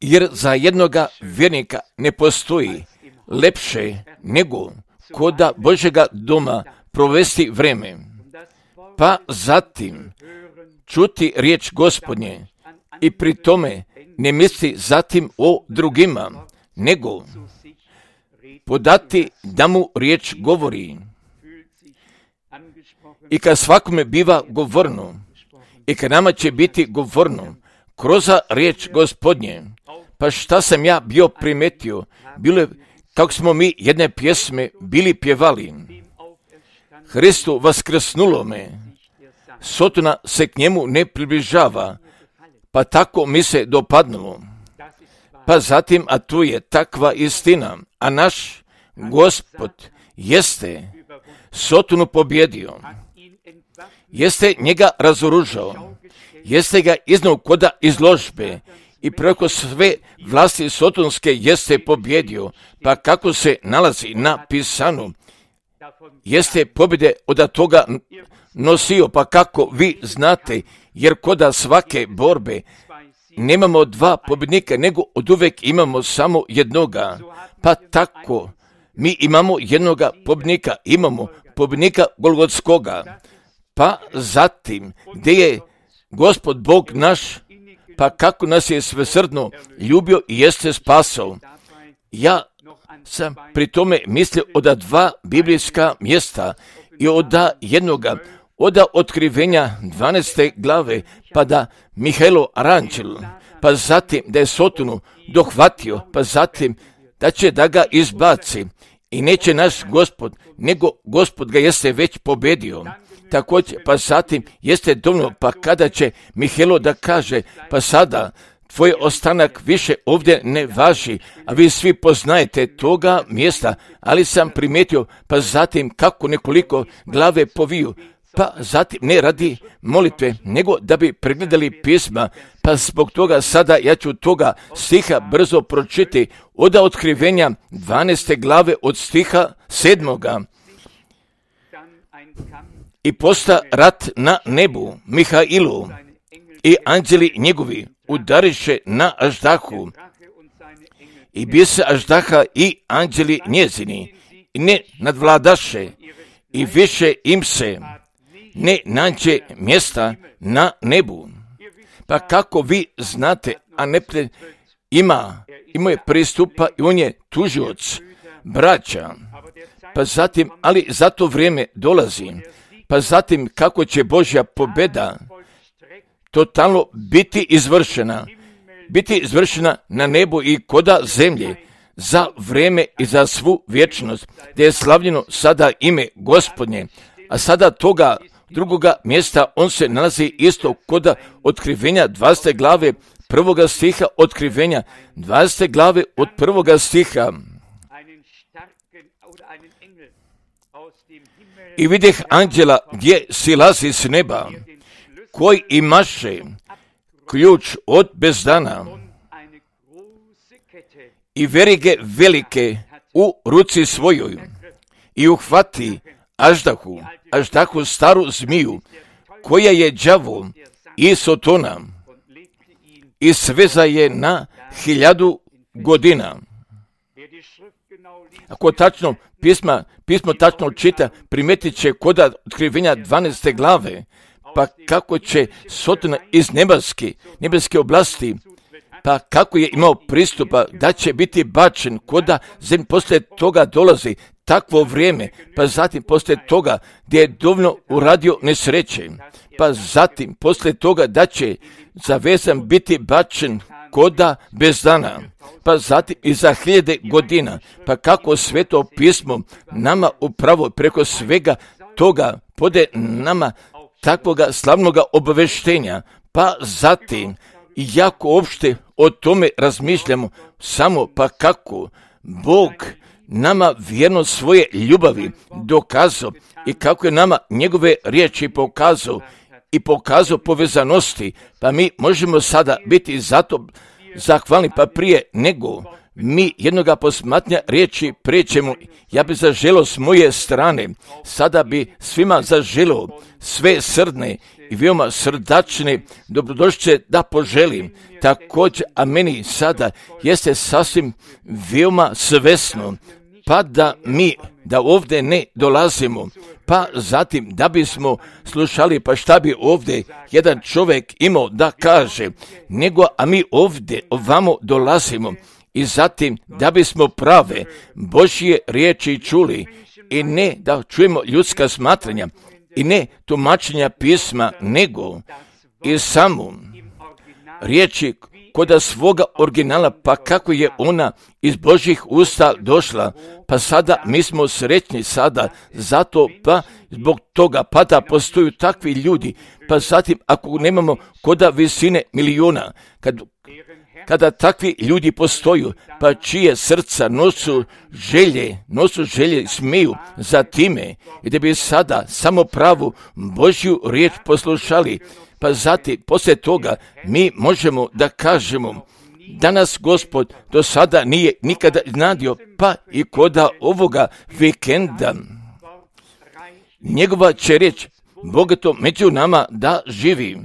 Jer za jednoga vjernika ne postoji lepše nego koda Božjega doma provesti vreme, pa zatim čuti riječ Gospodnje i pri tome ne misli zatim o drugima, nego podati da mu riječ govori. I kad svakome biva govorno, i kad nama će biti govorno kroz riječ Gospodnje, pa šta sam ja bio primetio, bilo je kako smo mi jedne pjesme bili pjevali. Hristu vaskrsnulome, Sotona se k njemu ne približava, pa tako mi se dopadnulo. Pa zatim, a tu je takva istina, a naš Gospod jeste Sotonu pobjedio, jeste njega razoružao, jeste ga iznao koda izložbe i preko sve vlasti sotonske jeste pobjedio, pa kako se nalazi na pisanu, jeste pobjede od toga nosio, pa kako vi znate, jer koda svake borbe nemamo dva pobjednika, nego od uvek imamo samo jednoga, pa tako mi imamo jednoga pobjednika, imamo pobjednika Golgotskoga, pa zatim gdje je Gospod Bog naš, pa kako nas je svesrdno ljubio i jeste spasao. Ja sam pri tome mislio od dva biblijska mjesta i od jednoga, od otkrivenja 12. glave, pa da Mihailo Aranđel, pa zatim da je Sotonu dohvatio, pa zatim da će da ga izbaci i neće naš Gospod, nego Gospod ga jeste već pobjedio. Također, pa zatim jeste dovoljno, pa kada će Mihailo da kaže, pa sada tvoj ostanak više ovdje ne važi, a vi svi poznajete toga mjesta, ali sam primijetio, pa zatim kako nekoliko glave poviju, pa zatim ne radi molitve, nego da bi pregledali pisma, pa zbog toga sada ja ću toga stiha brzo pročiti od otkrivenja 12. glave od stiha 7. I posta rat na nebu, Mihailu i anđeli njegovi udariše na Aždahu i bise Aždaha i anđeli njezini i ne nadvladaše i više im se ne nađe mjesta na nebu. Pa kako vi znate, a neprijatelj imao je pristupa i on je tužioc, braća, pa zatim, ali za to vrijeme dolazi, pa zatim kako će Božja pobjeda totalno biti izvršena na nebu i koda zemlje za vrijeme i za svu vječnost, gdje je slavljeno sada ime Gospodnje, a sada toga drugoga mjesta on se nalazi isto koda otkrivenja 20. glave 1. stiha, otkrivenja 20. glave od 1. stiha. I vidjeh anđela gdje silazi s neba, koji imaše ključ od bezdana i verige velike u ruci svojoj i uhvati Aždahu staru zmiju, koja je đavo i Sotona i sveza je na 1000 godina. Ako tačno pismo tačno čita, primetit će koda otkrivenja 12. glave, pa kako će Sotona iz nebeske oblasti, pa kako je imao pristupa da će biti bačen koda zemlje, poslije toga dolazi takvo vrijeme, pa zatim poslije toga gdje je dovoljno uradio nesreće, pa zatim poslije toga da će zavezan biti bačen koda bez dana, pa zatim i za 1000 godina, pa kako Sveto pismo nama upravo preko svega toga pode nama takvoga slavnoga obaveštenja, pa zatim i jako opšte o tome razmišljamo, samo pa kako Bog nama vjerno svoje ljubavi dokazao i kako je nama njegove riječi pokazao povezanosti, pa mi možemo sada biti zato zahvalni, pa prije nego mi jednoga posmatranja riječi prećemo. Ja bi zaželio s moje strane, sada bi svima zaželio sve srdne i veoma srdačne dobrodošće da poželim. Također, a meni sada jeste sasvim veoma svesno, pa da ovdje ne dolazimo, pa zatim da bismo slušali, pa šta bi ovdje jedan čovjek imao da kaže, nego a mi ovdje ovamo dolazimo i zatim da bismo prave Božje riječi čuli i ne da čujemo ljudska smatranja i ne tumačenja pisma, nego i samo riječi koda svoga originala, pa kako je ona iz Božjih usta došla, pa sada mi smo sretni sada, zato pa zbog toga pa da postoju takvi ljudi, pa zatim ako nemamo koda visine miliona, kada takvi ljudi postoju, pa čije srca nosu želje smiju za time i da bi sada samo pravu Božju riječ poslušali, pa zatim poslije toga mi možemo da kažemo danas Gospod do sada nije nikada iznadio, pa i koda ovoga vikenda njegova će riječ bogato među nama da živi.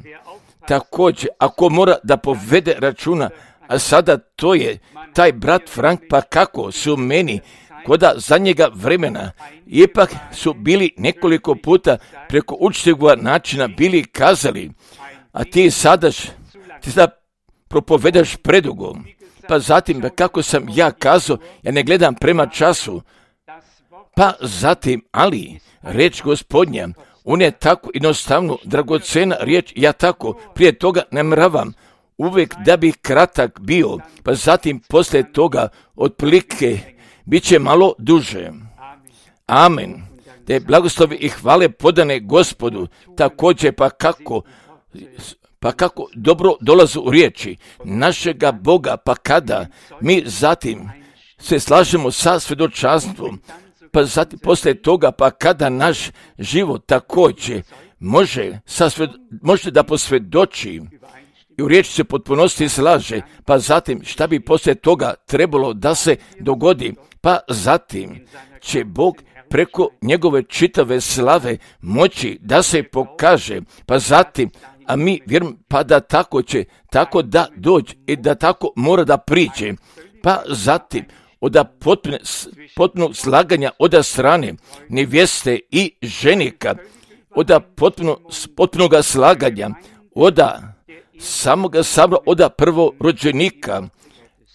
Također, ako mora da povede računa, a sada to je taj brat Frank, pa kako su meni koda zadnjega vremena, ipak su bili nekoliko puta preko učtivog načina bili kazali, a ti sada propovedaš predugo, pa zatim kako sam ja kazao, ja ne gledam prema času, pa zatim, ali reč Gospodnja, on je tako jednostavno dragocena riječ, ja tako prije toga namravam uvijek da bi kratak bio, pa zatim poslije toga otprilike bit će malo duže. Amen. Da je blagoslovi i hvale podane Gospodu, također pa kako dobro dolazu u riječi našega Boga, pa kada mi zatim se slažemo sa svjedočanstvom, pa zatim poslije toga, pa kada naš život također može da posvjedoči i u riječi se potpunosti slaže, pa zatim šta bi poslije toga trebalo da se dogodi, pa zatim će Bog preko njegove čitave slave moći da se pokaže, pa zatim, a mi vjerujemo pa da tako će, tako da dođe i da tako mora da priđe, pa zatim od potpunog slaganja od strane nevjeste i ženika, od potpunog slaganja od samoga sabora, od prvorođenika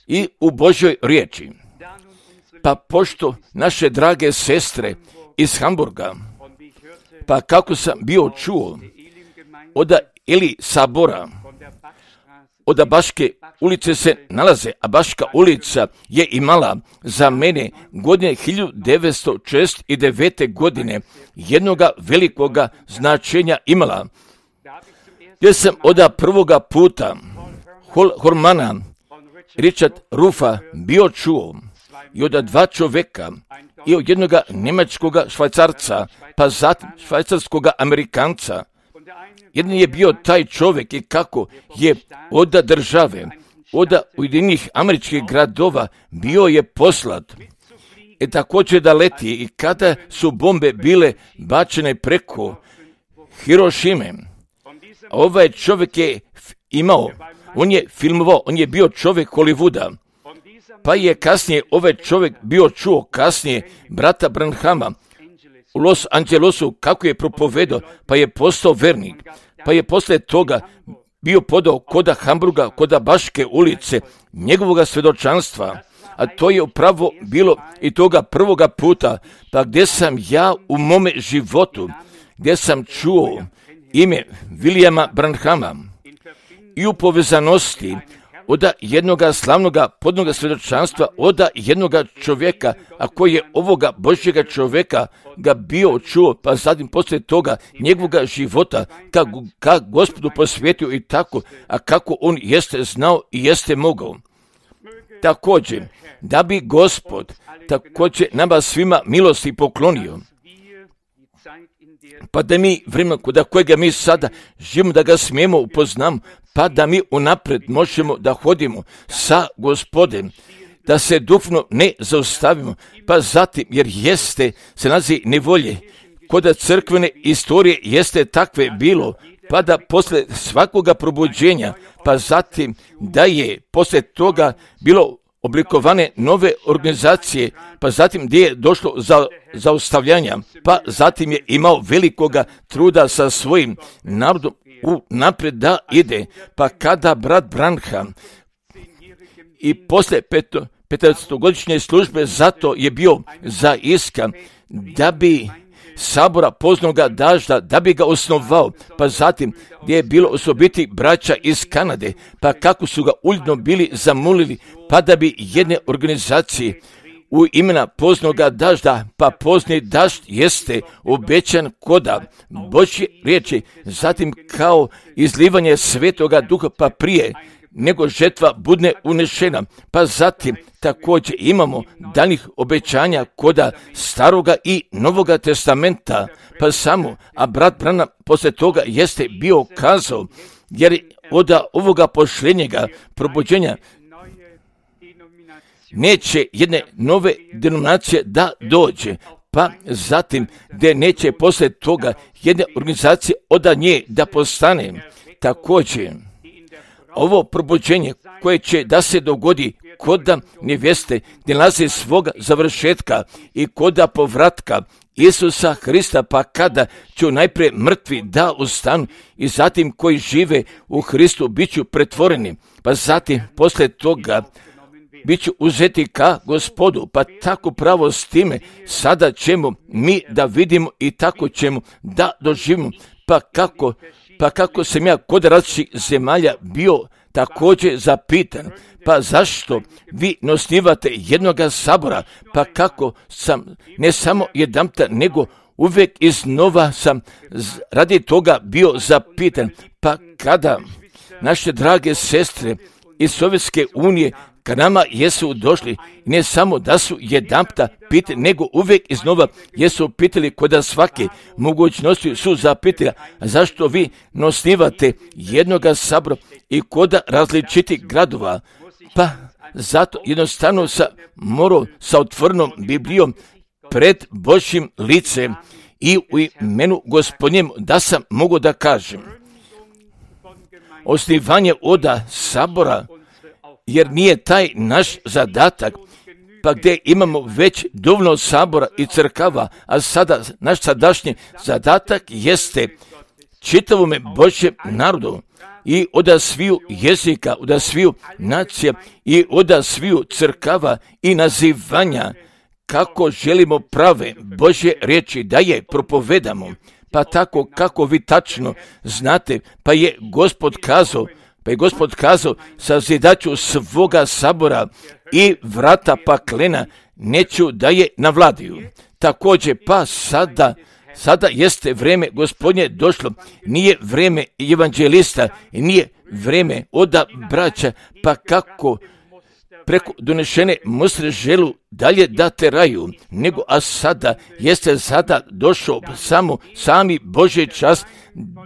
i u Božjoj riječi. Pa pošto naše drage sestre iz Hamburga, pa kako sam bio čuo od Eli sabora, od Baške ulice se nalaze, a Baška ulica je imala za mene godine 1969. godine jednoga velikoga značenja imala, gdje sam od prvoga puta Hormana Richard Rufa bio čuo i od dva čoveka i od jednoga njemačkoga Švajcarca, pa zatim švajcarskoga Amerikanca. Jedan je bio taj čovjek i kako je od države, od Ujedinjenih američkih gradova bio je poslat. I također da leti i kada su bombe bile bačene preko Hirošime, ovaj čovjek je imao, on je filmovao, on je bio čovjek Hollywooda, pa je kasnije ovaj čovjek bio čuo kasnije brata Branhama u Los Angelesu kako je propovedao, pa je postao vernik, pa je poslije toga bio podao koda Hamburga, koda Baške ulice, njegovoga svjedočanstva, a to je upravo bilo i toga prvoga puta, pa gdje sam ja u mome životu, gdje sam čuo ime Williama Branhama i u povezanosti od jednoga slavnoga podnoga svjedočanstva, od jednoga čovjeka, a koji je ovoga Božjega čovjeka ga bio čuo, pa zatim poslije toga njegovoga života, kako Gospodu posvetio i tako, a kako on jeste znao i jeste mogao. Također, da bi Gospod također nama svima milosti poklonio, pa da mi vremena kod kojega mi sada živimo da ga smijemo upoznamo, pa da mi unaprijed možemo da hodimo sa Gospodem, da se duhovno ne zaustavimo, pa zatim, jer se nalazi nevolje, kod crkvene istorije jeste takve bilo, pa da posle svakoga probuđenja, pa zatim da je posle toga bilo oblikovane nove organizacije, pa zatim gdje je došlo za zaustavljanja, pa zatim je imao velikoga truda sa svojim narodom naprijed da ide, pa kada brat Branham i posle 15-godišnje službe zato je bio zaiskan da bi sabora poznoga dažda, da bi ga osnovao, pa zatim gdje je bilo osobiti braća iz Kanade, pa kako su ga uljudno bili zamolili, pa da bi jedne organizacije u imena poznoga dažda, pa pozni dažd jeste obećan koda Božje riječi, zatim kao izlivanje svetoga duha, pa prije nego žetva budne unešena, pa zatim također imamo daljih obećanja koda Staroga i Novoga testamenta, pa samo, a brat Branham poslije toga jeste bio kazao, jer od ovoga pošljenjega probuđenja neće jedne nove denominacije da dođe, pa zatim gdje neće poslije toga jedne organizacije od nje da postane. Također, ovo probuđenje koje će da se dogodi koda nevjeste gdje nalazi svoga završetka i koda povratka Isusa Hrista, pa kada će najprije mrtvi da ustanu i zatim koji žive u Hristu bit ću pretvoreni, pa zatim poslije toga bit ću uzeti ka Gospodu, pa tako pravo s time sada ćemo mi da vidimo i tako ćemo da doživimo, pa kako sam ja kod različitih zemalja bio također zapitan, pa zašto vi ne osnivate jednoga sabora, pa kako sam ne samo jedanputa, nego uvijek iznova sam radi toga bio zapitan, pa kada naše drage sestre iz Sovjetske unije ka nama jesu došli, ne samo da su jedanputa pitali, nego uvijek iznova jesu pitali kod svake mogućnosti su zapitali, zašto vi ne osnivate jednoga sabora i kod različitih gradova, pa zato jednostavno morao sa otvorenom Biblijom pred Božjim licem i u imenu Gospodnjem da sam mogu da kažem osnivanje oda sabora, jer nije taj naš zadatak, pa gdje imamo već dovoljno sabora i crkava, a sada naš sadašnji zadatak jeste čitavome Božjem narodu i od sviju jezika, od sviju nacija i od sviju crkava i nazivanja, kako želimo prave Božje riječi da je propovedamo, pa tako kako vi tačno znate, pa je Gospod kazao, sazidaću svoga sabora i vrata paklena neću da je navladiju. Također, pa sada jeste vrijeme Gospodnje došlo, nije vrijeme evanđelista, nije vrijeme oda braća, pa kako preko donešene mustre želu dalje da teraju, nego a sada jeste došao sami Božji čas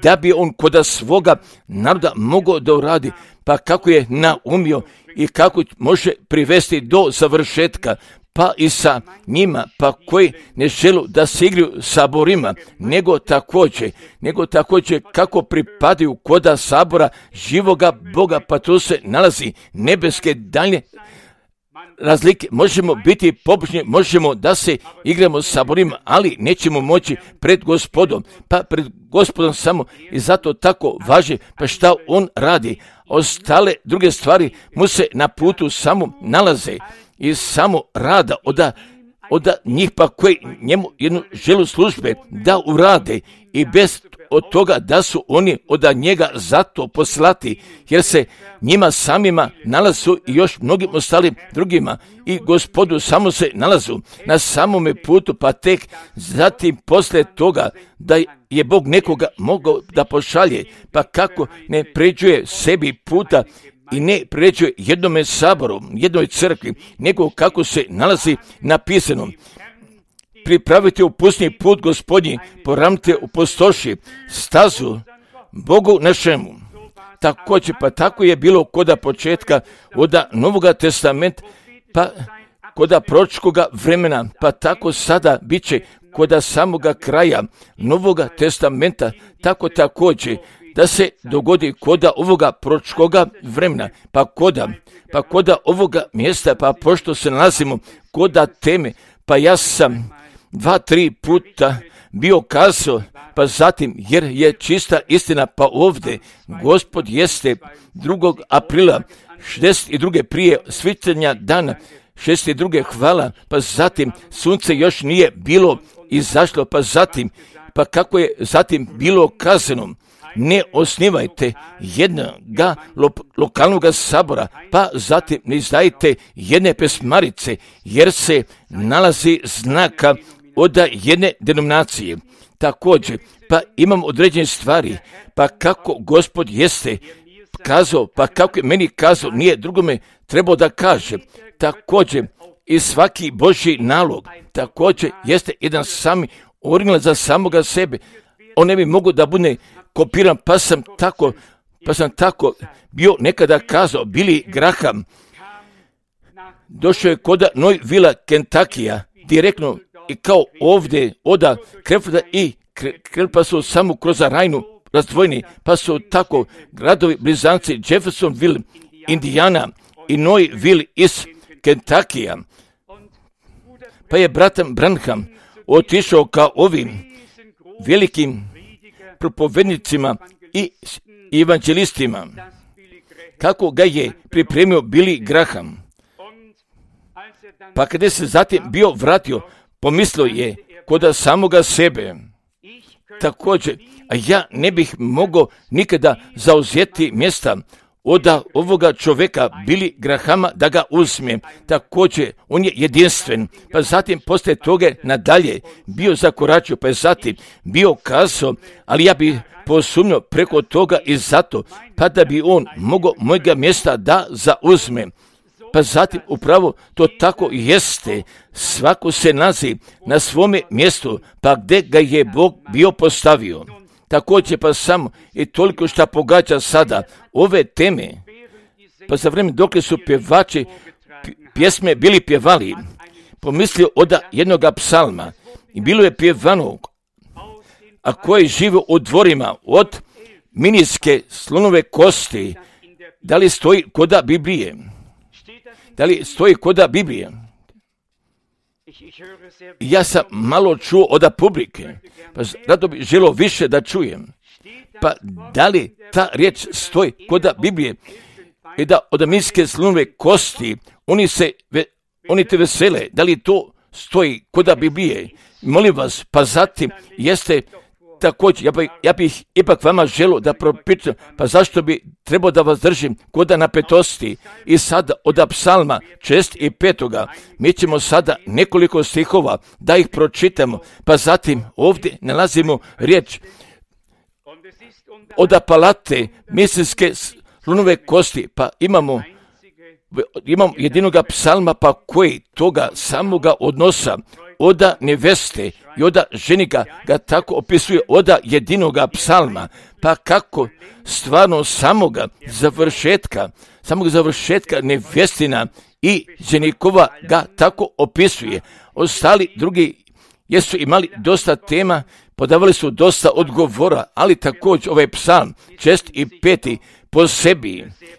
da bi on kod svoga naroda mogao da uradi, pa kako je naumio i kako može privesti do završetka, pa i sa njima, pa koji ne želu da se igraju saborima, nego također kako pripadaju koda sabora živoga Boga, pa tu se nalazi nebeske daljne razlike. Možemo biti pobožni, možemo da se igramo saborima, ali nećemo moći pred Gospodom, pa pred Gospodom samo i zato tako važi, pa šta on radi. Ostale druge stvari mu se na putu samo nalaze i samo rada od njih, pa koji njemu jednu želu službe da urade i bez od toga da su oni od njega zato poslati, jer se njima samima nalazu i još mnogim ostalim drugima i Gospodu samo se nalazu na samome putu, pa tek zatim poslije toga da je Bog nekoga mogao da pošalje, pa kako ne pređuje sebi puta i ne pređuje jednome saboru, jednoj crkvi, nego kako se nalazi napisano. Pripravite u pustinji put Gospodnji, poravnite u pustoši stazu Bogu našemu. Također, pa tako je bilo kod početka od Novoga testamenta pa koda proročkoga vremena, pa tako sada bit će koda samoga kraja Novoga testamenta, tako također da se dogodi koda ovoga proročkoga vremena, pa koda ovoga mjesta, pa pošto se nalazimo koda teme, pa ja sam 2-3 puta bio kazao, pa zatim, jer je čista istina, pa ovdje Gospod jeste 2. aprila 62. prije svitanja dana 62. hvala, pa zatim sunce još nije bilo izašlo, pa kako je zatim bilo kazano, ne osnivajte jednoga lokalnog sabora, pa zatim ne izdajte jedne pesmarice, jer se nalazi znaka od jedne denominacije. Također, pa imam određene stvari, pa kako Gospod jeste kazao, pa kako je meni kazao, nije drugome trebao da kaže. Također, i svaki Božji nalog, također jeste jedan sami original za samoga sebe. On ne bi mogao da bude kopiran, pa sam tako bio nekada kazao. Billy Graham došao je kod Louisville, Kentakija, direktno i kao ovdje oda Krefforda i pa su samo kroz Rajnu razdvojeni, pa su tako gradovi blizanci Jeffersonville, Indiana i Louisville iz Kentakija. Pa je bratan Branham otišao kao ovim velikim propovednicima i evanđelistima, kako ga je pripremio Billy Graham. Pa kada se zatim bio vratio, pomislio je kod samoga sebe. Također, a ja ne bih mogao nikada zauzeti mjesta od ovoga čovjeka Billy Grahama da ga uzmem. Također, on je jedinstven. Pa zatim poslije toga nadalje bio zakoračio, pa je zatim bio kazao, ali ja bih posumnio preko toga i zato, pa da bi on mogao mojega mjesta da zauzme. Pa zatim upravo to tako jeste. Svako se nalazi na svome mjestu, pa gdje ga je Bog bio postavio. Također pa samo i toliko što pogađa sada ove teme, pa za vrijeme dok su pjevači pjesme bili pjevali, pomislio od jednoga psalma i bilo je pjevano, a koji žive u dvorima od minijske slonove kosti, da li stoji koda Biblije? Da li stoji koda Biblije? Ja sam malo čuo od publike, pa rado bi želio više da čujem. Pa da li ta riječ stoji koda Biblije i da od minijske slonove kosti oni te vesele, da li to stoji koda Biblije? Molim vas, pa zatim jeste također, ja bih ipak vama želio da propitam, pa zašto bi trebao da vas držim koda napetosti. I sada od psalma 6 i 5. Mi ćemo sada nekoliko stihova da ih pročitamo, pa zatim ovdje nalazimo riječ od palate misijske slonove kosti, pa imamo jedinoga psalma, pa koji toga samoga odnosa oda neveste i oda ženika ga tako opisuje oda jedinoga psalma, pa kako stvarno samoga završetka nevestina i ženikova ga tako opisuje. Ostali drugi jesu imali dosta tema, podavali su dosta odgovora, ali također ovaj psalm 6 i 5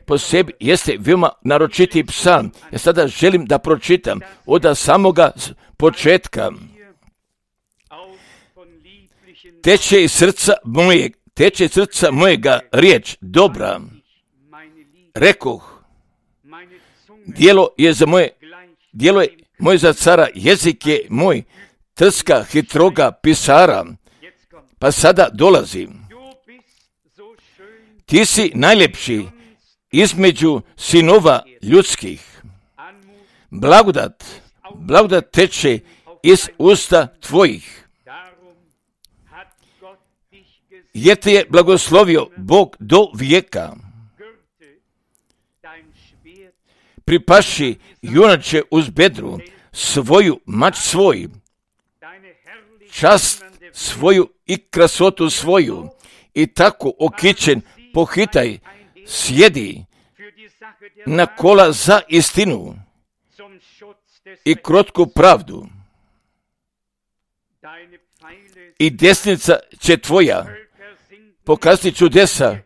po sebi jeste veoma naročiti psalm. Ja sada želim da pročitam od samoga početka. Teče iz srca mojega riječ dobra. Rekoh, djelo je moje za cara, jezik je moj, trska hitroga pisara. Pa sada dolazim. Ti si najljepši između sinova ljudskih. Blagodat teče iz usta tvojih. Jer te je blagoslovio Bog do vijeka. Pripaši junače uz bedru svoju mač svoj, čast svoju i krasotu svoju, i tako okićen pohitaj, sjedi na kola za istinu i krotku pravdu. I desnica će tvoja pokazati čudesa.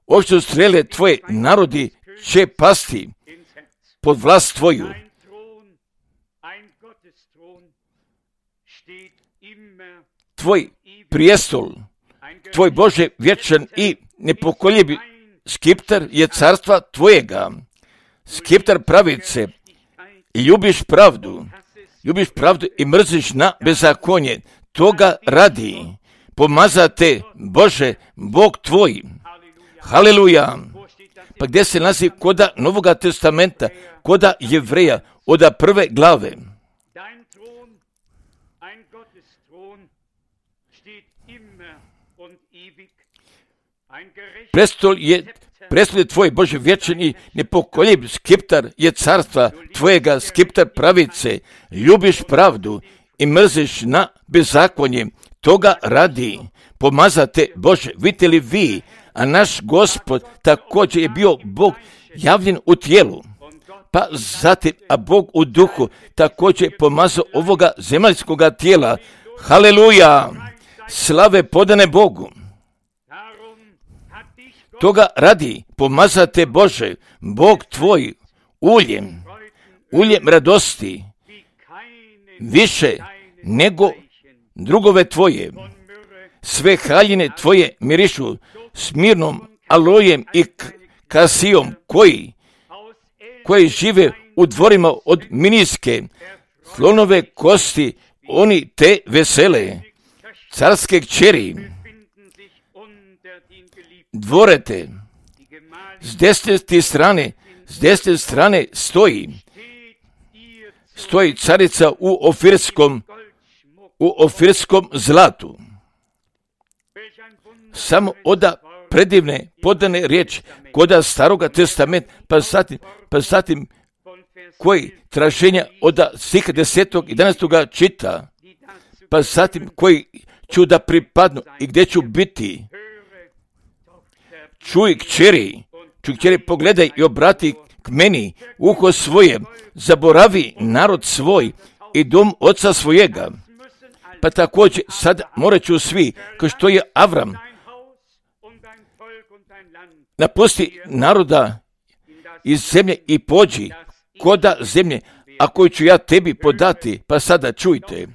Ošto strele tvoje narodi će pasti pod vlast tvoju. Tvoj prijestol, tvoj Bože vječan i nepokoljebi skiptar je carstva tvojega. Skiptar pravice, ljubiš pravdu i mrziš na bezakonje. Toga radi pomazate Bože, Bog tvoj. Haleluja. Pa gdje se nalazi koda Novoga testamenta, koda Jevreja, od prve glave. Prestol je tvoj Bože vječan i nepokoljiv, skiptar je carstva tvojega, skiptar pravice, ljubiš pravdu i mrziš na bezakonje. Toga radi pomazate Bože. Vidite li vi, a naš Gospod također je bio Bog javljen u tijelu, pa zatim, a Bog u duhu također je pomazao ovoga zemaljskoga tijela. Haleluja! Slave podane Bogu. Toga radi pomazate Bože, Bog tvoj, uljem radosti, više nego drugove tvoje. Sve haljine tvoje mirišu smirnom alojem i kasijom, koji žive u dvorima od miniske, slonove kosti, oni te vesele, carske kćeri, dvorete, s desne strane stoji carica u ofirskom zlatu. Samo oda predivne podane riječi koda Staroga testamenta, pa zatim koji traženja od stiha 10. i 11. čita, pa zatim koji ću da pripadnu i gdje ću biti. Čuj kćeri, pogledaj i obrati k meni uho svoje, zaboravi narod svoj i dom oca svojega. Pa također sad morat ću svi, kao što je Avram, napusti naroda iz zemlje i pođi koda zemlje, a koju ću ja tebi podati. Pa sada čujte.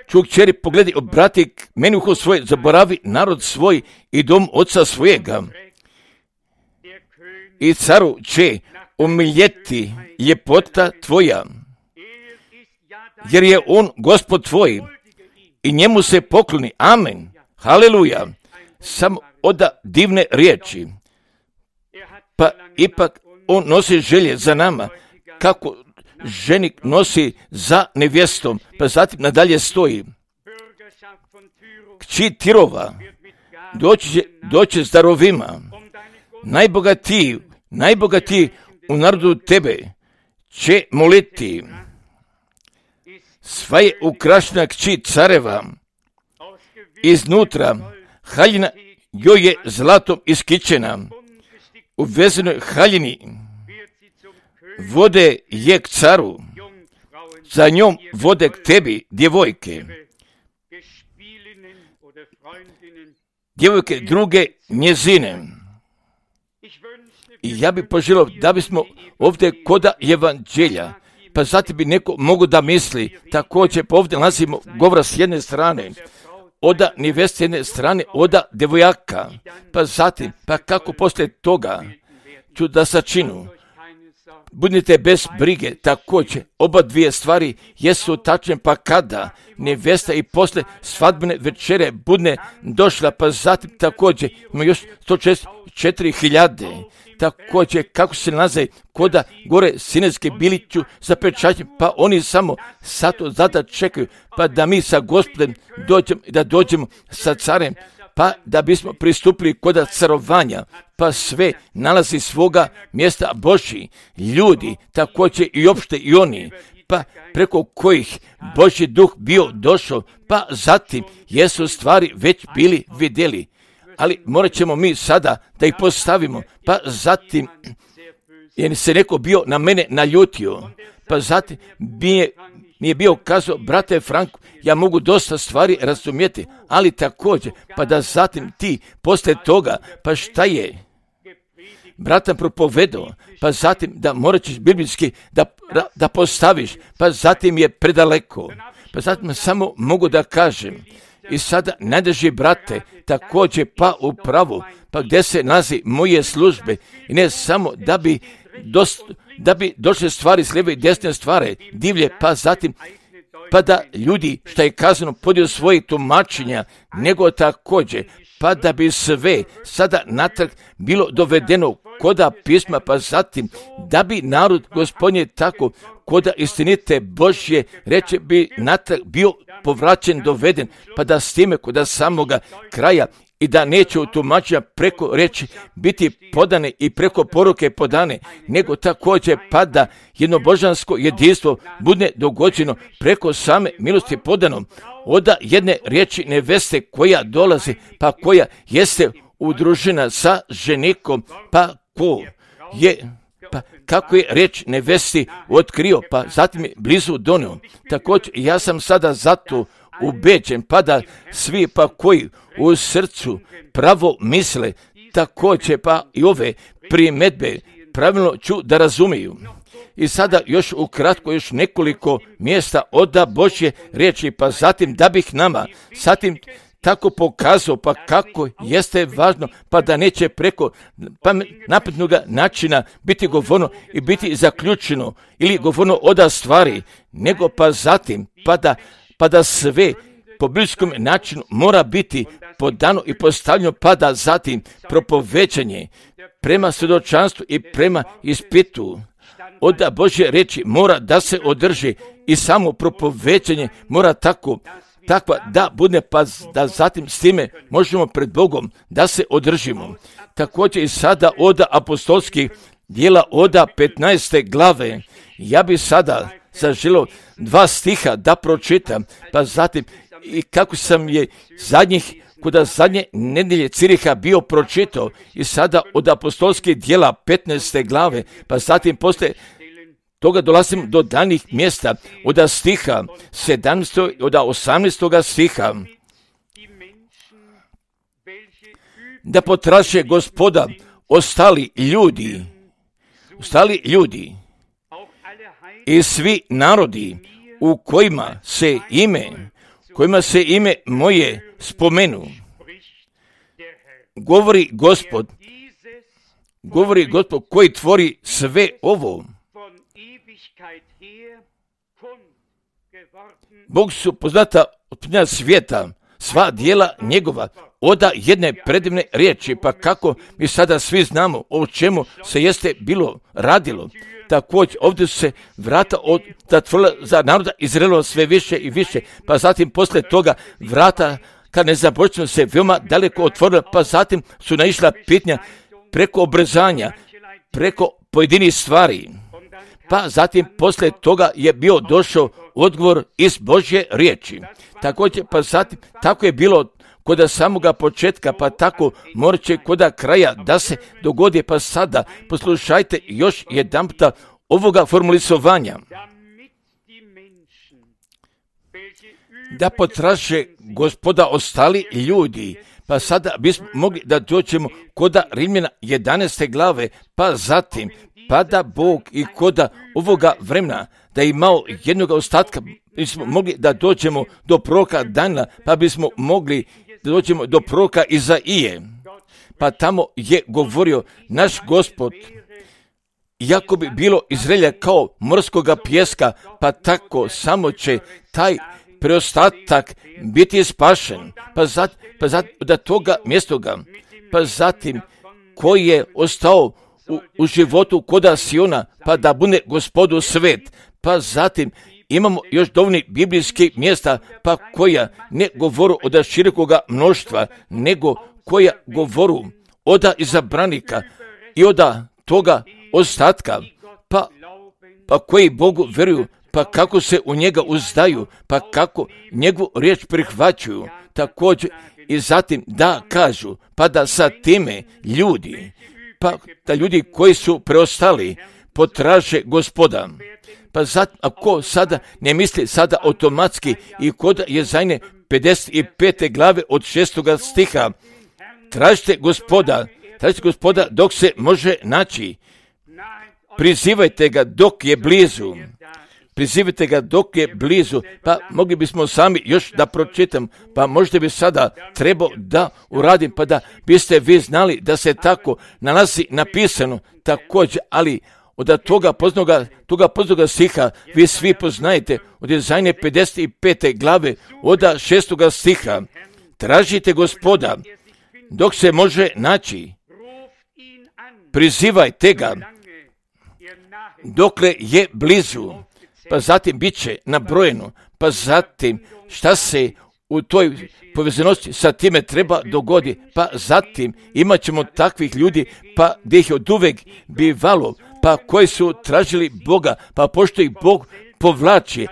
Čuj kćeri, pogledaj, obrati meni uho svoje, zaboravi narod svoj i dom oca svojega. I caru će umiljeti ljepota tvoja, jer je on Gospod tvoj i njemu se pokloni. Amen. Haleluja. Samo oda divne riječi. Pa ipak on nosi želje za nama, kako ženik nosi za nevjestom. Pa zatim nadalje stoji. Kći Tirova doći s darovima. Najbogatiji u narodu tebe će moliti. Sva je ukrašena kći careva. Iznutra haljina joj je zlatom iskićena. U vezenoj haljini vode je k caru, za njom vode k tebi djevojke druge njezine. I ja bih poželio da bismo ovdje koda evanđelja, pa zatim bi neko mogu da misli, također pa ovdje nalazimo govora s jedne strane, oda neveste s jedne strane, oda devojaka, pa zatim, pa kako poslije toga ću da sačinu. Budite bez brige, također, oba dvije stvari jesu tačne, pa kada nevesta i posle svadbene večere budne došla, pa zatim također ima još 164.000, također kako se nalaze koda gore sinetske biliću sa pečaćem, pa oni samo sato zada čekaju, pa da mi sa Gospodem dođemo sa carem, pa da bismo pristupili koda carovanja, pa sve nalazi svoga mjesta Božji, ljudi, također i opšte i oni, pa preko kojih Božji duh bio došao, pa zatim jesu stvari već bili vidjeli. Ali morat ćemo mi sada da ih postavimo, pa zatim jer se neko bio na mene naljutio, pa zatim mi je bio kazao, brate Frank, ja mogu dosta stvari razumjeti, ali također, pa da zatim ti poslije toga, pa šta je bratan propovedao, pa zatim da morat ćeš biblijski da postaviš, pa zatim je predaleko, pa zatim samo mogu da kažem, i sada najdraži brate, također pa u pravu, pa gdje se nalazi moje službe, i ne samo da bi došle stvari s lijeve i desne stvari divlje, pa zatim pa da ljudi što je kazano podiju svoje tumačenja, nego također pa da bi sve sada natrag bilo dovedeno koda pisma, pa zatim da bi narod Gospodnje tako koda istinite Božje reče bi natrag bio povraćen, doveden, pa da s time koda samoga kraja i da neće u tumačenja preko reči biti podane i preko poruke podane, nego također pa da jednobožansko jedinstvo bude dogođeno preko same milosti podano, oda jedne riječi neveste koja dolazi, pa koja jeste udružena sa ženikom, pa ko je, pa kako je riječ nevesti otkrio, pa zatim je blizu donio. Također ja sam sada zato ubeđen, pa da svi pa koji u srcu pravo misle, također pa i ove primjedbe pravilno ću da razumiju. I sada još ukratko još nekoliko mjesta oda Božje riječi, pa zatim da bih nama zatim tako pokazao pa kako jeste važno, pa da neće preko naprednog načina biti govorno i biti zaključeno ili govorno oda stvari, nego pa zatim pa da sve po biblijskom načinu mora biti podano i postavljeno, pa da zatim propoveđanje prema svjedočanstvu i prema ispitu od Božje riječi mora da se održi i samo propoveđanje mora takva da bude, pa da zatim s time možemo pred Bogom da se održimo. Također i sada od apostolskih djela od 15. glave, ja bi sada zaželio 2 stiha da pročitam, pa zatim i kako sam je kuda zadnje nedjelje Ciriha bio pročitao i sada od apostolskih djela 15. glave, pa zatim poslije toga dolazim do danih mjesta od stiha 17. od 18. stiha. Da potraže Gospoda ostali ljudi i svi narodi u kojima se ime moje spomenu. Govori Gospod koji tvori sve ovo. Bog su poznata od svijeta, sva djela njegova, oda jedne predivne riječi, pa kako mi sada svi znamo o čemu se jeste bilo radilo. Također ovdje su se vrata zatvorila za naroda Izraelova sve više i više, pa zatim poslije toga vrata kad ne započnu se veoma daleko otvorila, pa zatim su naišla pitanja preko obrazanja, preko pojedinih stvari. Pa zatim poslije toga je bio došao odgovor iz Božje riječi. Također pa zatim tako je bilo koda samoga početka, pa tako morat će koda kraja da se dogodi, pa sada poslušajte još jedanputa ovoga formulisovanja. Da potraže Gospoda ostali ljudi, pa sada bismo mogli da dođemo koda Rimljana 11. glave, pa zatim pa da Bog i koda ovoga vremena da je imao jednog ostatka, bismo mogli da dođemo do proroka Dana, pa bismo mogli da dođemo do proroka Izaije. Pa tamo je govorio naš Gospod, iako bi bilo Izraelja kao morskoga pijeska, pa tako samo će taj preostatak biti spašen. Pa da toga mjestoga, pa zatim koji je ostao u životu koda Siona, pa da bude Gospodu svet. Pa zatim imamo još dovoljni biblijskih mjesta, pa koja ne govoru od širokoga mnoštva, nego koja govoru oda izabranika i oda toga ostatka, pa koji Bogu vjeruju, pa kako se u njega uzdaju, pa kako njegovu riječ prihvaćuju. Također i zatim da kažu, pa da sa time ljudi pa da ljudi koji su preostali potraže Gospoda. Pa ako sada ne misli sada automatski i kod Jezajne 55. glave od 6. stiha, tražite Gospoda dok se može naći. Prizivajte ga dok je blizu. Pa mogli bismo sami još da pročitam, pa možda bi sada trebao da uradim, pa da biste vi znali da se tako nalazi napisano također, ali od toga poznaga stiha vi svi poznajete, od Jezajne 55. glave od 6. stiha. Tražite Gospoda dok se može naći. Prizivajte ga dokle je blizu. Pa zatim bit će nabrojeno, pa zatim šta se u toj povezanosti sa time treba dogodi, pa zatim imat ćemo takvih ljudi, pa gdje ih od uvek bivalo, pa koji su tražili Boga, pa pošto ih Bog povlači,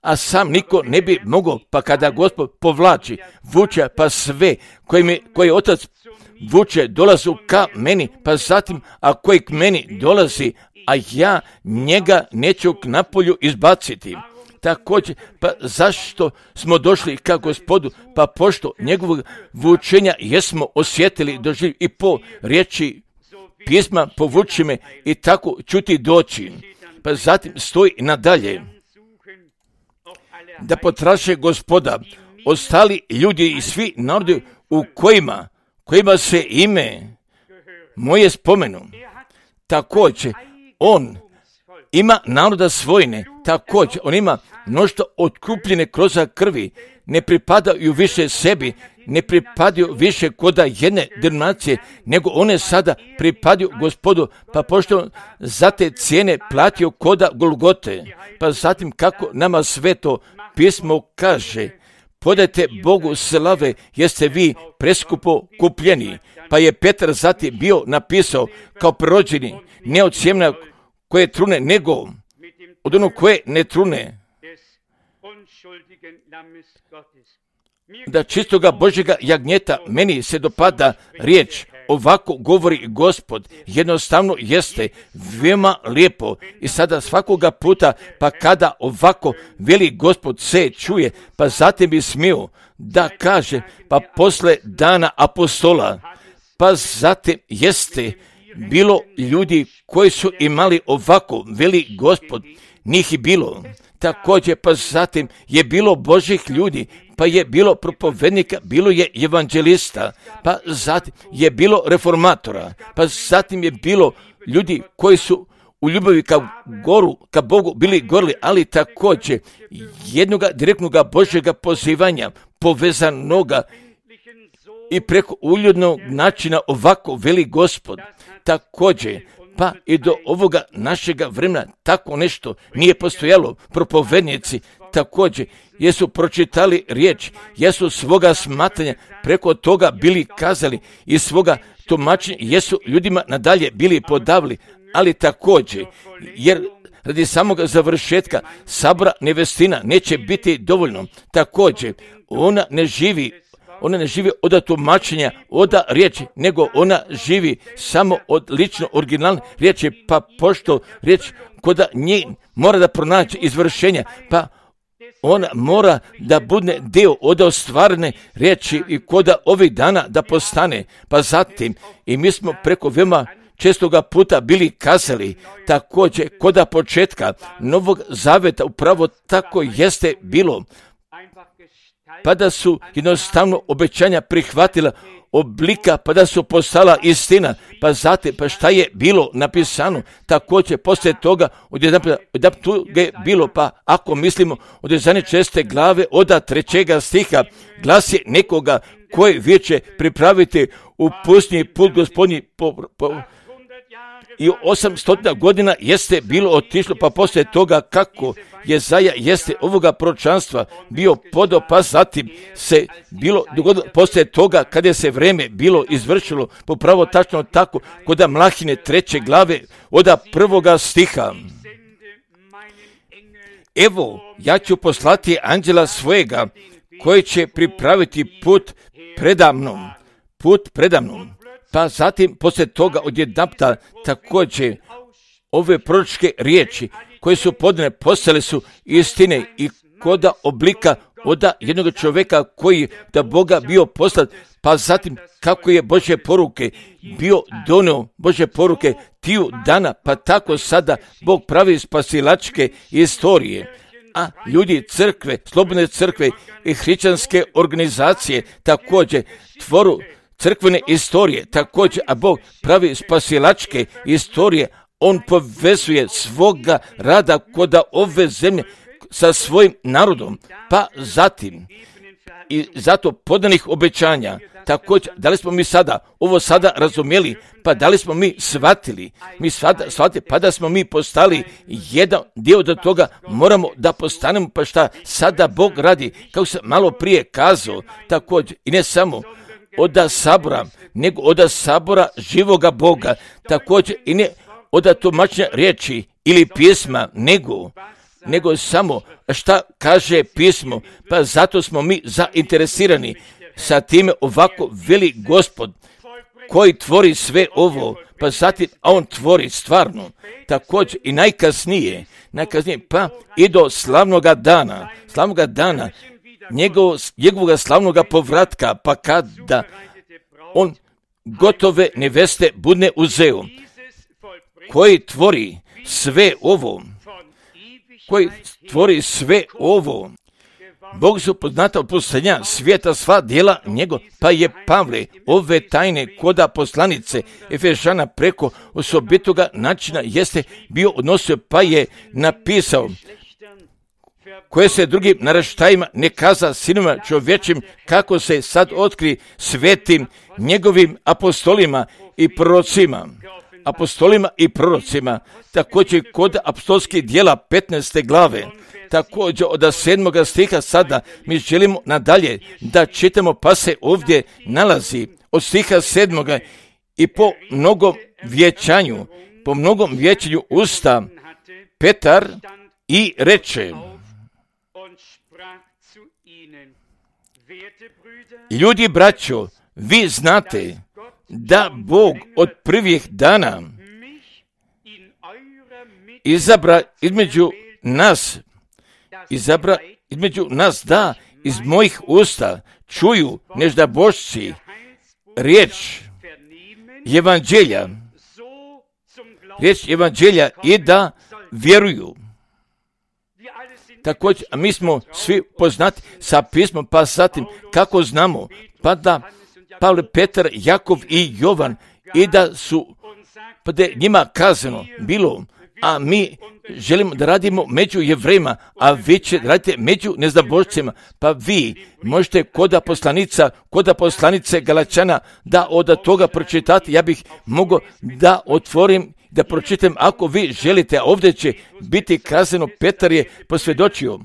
a sam niko ne bi mogao, pa kada Gospod povlači, vuče, pa sve koji Otac vuče dolazu ka meni, pa zatim a koji k meni dolazi, a ja njega neću k napolju izbaciti. Također, pa zašto smo došli ka Gospodu? Pa pošto njegovog vučenja jesmo osjetili, doživjeli i po riječi pisma povuči me i tako ćuti doći. Pa zatim stoji nadalje da potraže Gospoda ostali ljudi i svi narodi u kojima se ime moje spomenu. Također, on ima naroda svojine, također, on ima mnoštvo otkupljene kroz krvi, ne pripadaju više sebi, ne pripadaju više koda jedne denominacije, nego one sada pripadaju Gospodu, pa pošto za te cijene platio koda Golgote, pa zatim kako nama sveto pismo kaže, podajte Bogu slave, jeste vi preskupo kupljeni. Pa je Petar zatim bio napisao kao prorođeni, ne od sjemena koje trune, nego od onog koje ne trune. Da čistoga Božjega jagnjeta, meni se dopada riječ, ovako govori Gospod, jednostavno jeste veoma lijepo i sada svakoga puta, pa kada ovako veli Gospod se čuje, pa zatim bi smio da kaže, pa posle dana apostola, pa zatim jeste bilo ljudi koji su imali ovako veli Gospod, njih je bilo. Također, pa zatim je bilo Božih ljudi, pa je bilo propovednika, bilo je evanđelista, pa zatim je bilo reformatora, pa zatim je bilo ljudi koji su u ljubavi ka Bogu bili gorili, ali također jednoga direktnoga Božjega pozivanja, povezanoga i preko uljudnog načina ovako veli Gospod. Također, pa i do ovoga našega vremena tako nešto nije postojalo. Propovednici također jesu pročitali riječ, jesu svoga smatranja preko toga bili kazali i svoga tumačenja jesu ljudima nadalje bili podavili, ali također, jer radi samog završetka sabora nevestina neće biti dovoljno. Također, ona ne živi od tumačenja, od riječi, nego ona živi samo od lično originalne riječi, pa pošto riječ koda nje mora da pronaći izvršenja, pa ona mora da bude dio od ostvarene riječi i koda ovih dana da postane, pa zatim i mi smo preko veoma čestoga puta bili kazali, također koda početka Novog Zaveta upravo tako jeste bilo, pa da su jednostavno obećanja prihvatila oblika, pa da su postala istina, pa zatim, pa šta je bilo napisano, također poslije toga od tu je bilo, pa ako mislimo od 11. glave od 3. stiha, glas je nekoga koji viče pripraviti u pustinji put Gospodnji i 800 godina jeste bilo otišlo, pa poslije toga kako Jezaja jeste ovoga proročanstva bio podao, pa zatim se bilo dogodilo poslije toga kada je se vreme bilo izvršilo, popravo tačno tako kod Mlahine 3. glave od 1. stiha. Evo, ja ću poslati anđela svojega koji će pripraviti put predamnom. pa zatim poslije toga odjedanputa također ove proročke riječi koje su podane postale su istine i koda oblika od jednog čovjeka koji da Boga bio poslat, pa zatim kako je Božje poruke bio donio Božje poruke tiju dana, pa tako sada Bog pravi spasilačke istorije. A ljudi crkve, slobodne crkve i hrišćanske organizacije također tvoru crkvene istorije, također, a Bog pravi spasilačke istorije. On povezuje svoga rada koda ove zemlje sa svojim narodom, pa zatim i zato podanih obećanja. Također, da li smo mi ovo sada razumjeli, pa da li smo mi shvatili, pa da smo mi postali jedan dio do toga, moramo da postanemo, pa šta sada Bog radi, kako sam malo prije kazao, također, i ne samo od sabora, nego od sabora živoga Boga, također, i ne od tumačenja riječi ili pisma, nego samo šta kaže pismo, pa zato smo mi zainteresirani sa time ovako veli Gospod koji tvori sve ovo, pa zatim on tvori stvarno, također i najkasnije, pa i do slavnoga dana, njegovog slavnoga povratka, pa kada on gotove neveste budne uzeo, koji tvori sve ovo, Bog su poznata od posljednja svijeta sva djela njegov, pa je Pavle ove tajne koda poslanice Efešana preko osobitoga načina jeste bio odnosio, pa je napisao koje se drugim naraštajima ne kaza sinovima čovječim, kako se sad otkri svetim njegovim apostolima i prorocima, također kod apostolskih djela 15. glave, također od 7. stiha sada mi želimo nadalje da čitamo, pa se ovdje nalazi od stiha 7. i po mnogom vječanju usta Petar i reče: ljudi braćo, vi znate da Bog od prvih dana izabra između nas da iz mojih usta čuju nežda Božci riječ evanđelja i da vjeruju. Također, mi smo svi poznati sa pismom, pa zatim kako znamo, pa da Pavle, Petar, Jakov i Jovan i da su pa da njima kazano bilo, a mi želimo da radimo među Jevrejima, a vi će radite među neznabošcima, pa vi možete kod poslanice Galačana da od toga pročitati. Ja bih mogao da otvorim, da pročitam ako vi želite, a ovdje će biti kazano, Petar je posvjedočio.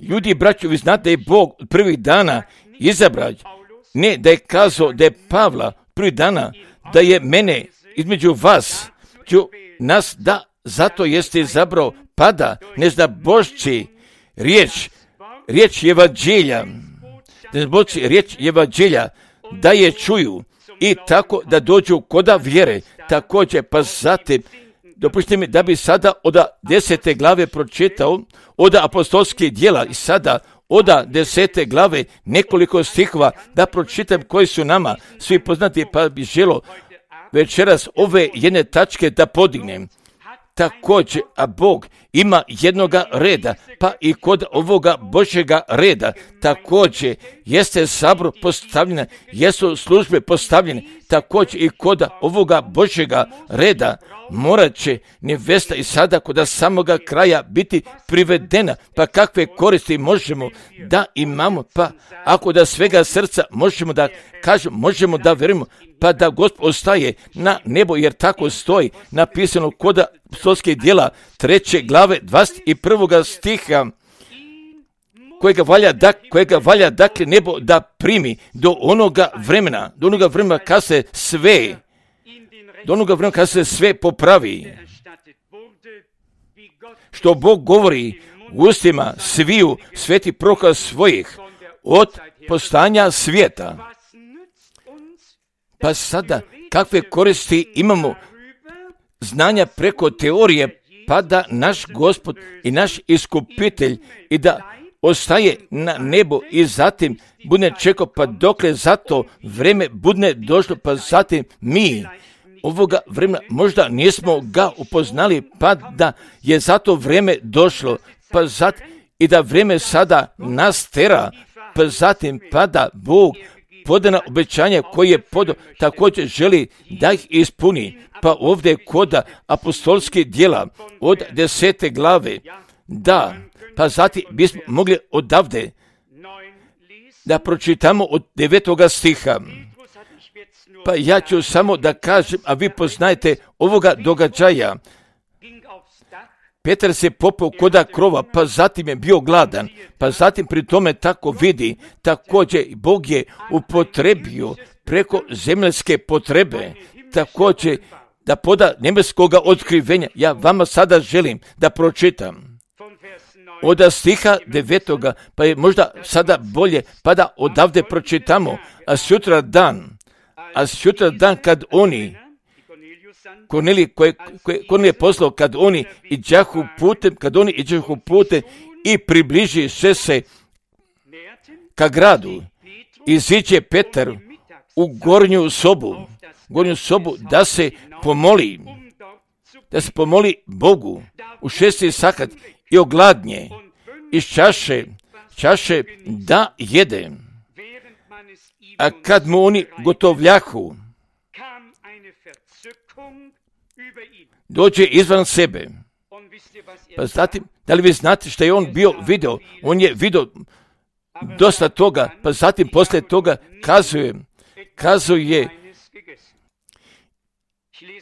Ljudi, braćo, vi znate da je Bog prvih dana izabrao, ne da je kazao da je Pavla prvih dana, da je mene između nas, da zato jeste izabrao, pada, ne zna Božci, riječ evanđelja, da je čuju i tako da dođu koda vjere, također, pa zatim, dopustite mi da bi sada od 10. glave pročitao, od apostolskih djela i sada od 10. glave nekoliko stihova da pročitam koji su nama svi poznati, pa bi želo večeras ove jedne tačke da podignem. Također, a Bog ima jednoga reda, pa i kod ovoga Božjega reda također jeste sabor postavljena, jesu službe postavljene, također i kod ovoga Božjega reda morat će nevesta i sada kod samoga kraja biti privedena, pa kakve koristi možemo da imamo, pa ako da svega srca možemo da kažemo, možemo da vjerujemo, pa da Gospod ostaje na nebo, jer tako stoji napisano kod apostolskih djela 3. glave 21. stiha, kojega valja dakle nebo da primi do onoga vremena kad se sve popravi, što Bog govori u ustima sviju svetih proroka svojih od postanja svijeta. Pa sada, kakve koristi imamo znanja preko teorije, pa da naš Gospod i naš iskupitelj i da ostaje na nebu i zatim bude čekao pa dokle za to vreme bude došlo, pa zatim mi ovoga vremena možda nismo ga upoznali, pa da je za to vreme došlo, pa zatim i da vreme sada nas tera, pa zatim pa da Bog podana obećanja koje je podao također želi da ih ispuni. Pa ovdje kod apostolskih djela od 10. glave, da, pa zatim bismo mogli odavde da pročitamo od 9. stiha. Pa ja ću samo da kažem, a vi poznajete ovoga događaja. Petar se popeo koda krova, pa zatim je bio gladan, pa zatim pri tome tako vidi, također Bog je upotrebio preko zemaljske potrebe, također da poda nebeskoga otkrivenja. Ja vama sada želim da pročitam od stiha 9. pa je možda sada bolje, pa da odavde pročitamo, a sutra dan kad oni, Kornelije poslao, kad oni iđahu putem i približi se ka gradu, iziđe Petar u gornju sobu da se pomoli Bogu u 6. sahat i ogladnje iz čaše da jede. A kad mu oni gotovljahu, dođe izvan sebe. Pa zatim, da li vi znate što je on video? On je video dosta toga, pa zatim poslije toga kazuje,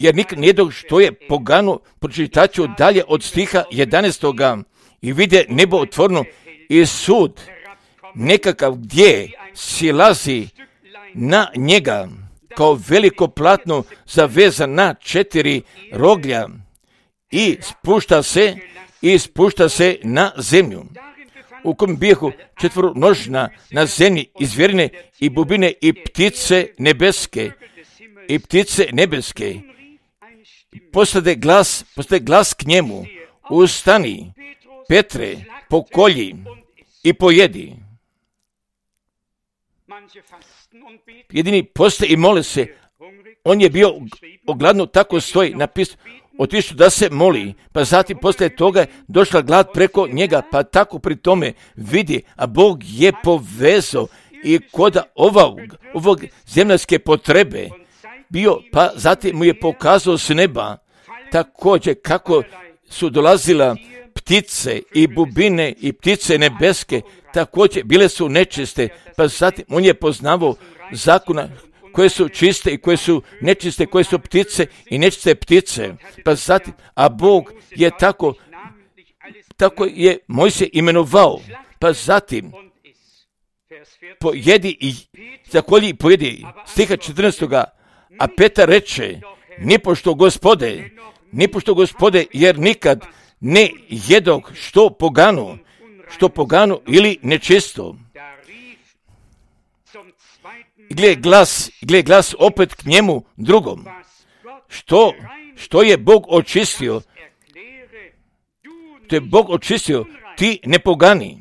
jer nikad nijednog što je pogano, pročitat ću dalje od stiha 11. I vide nebo otvoreno i sud nekakav gdje silazi na njega kao veliko platno zavezan na 4 roglja i spušta se na zemlju, u kojem bijehu 4 množina na zemlji i zvjerine i bubine i ptice nebeske. Postade glas k njemu: ustani, Petre, pokolji i pojedi. Jedini poste i mole se. On je bio ogladno, tako stoji napisano, otišao da se moli, pa zatim poslije toga je došla glad preko njega, pa tako pri tome vidi, a Bog je povezao i kod ovog zemljske potrebe bio, pa zatim mu je pokazao s neba također kako su dolazila ptice i bubine i ptice nebeske, također bile su nečiste, pa zatim on je poznavao zakona koje su čiste i koje su nečiste, koje su ptice i nečiste ptice, pa zatim, a Bog je tako je Mojsije imenovao, pa zatim pojedi i zakolji i pojedi, stiha 14. A Petar reče: nipošto Gospode, jer nikad ne jedog što pogano ili nečisto. Gle glas opet k njemu drugom: što je Bog očistio, ti ne pogani.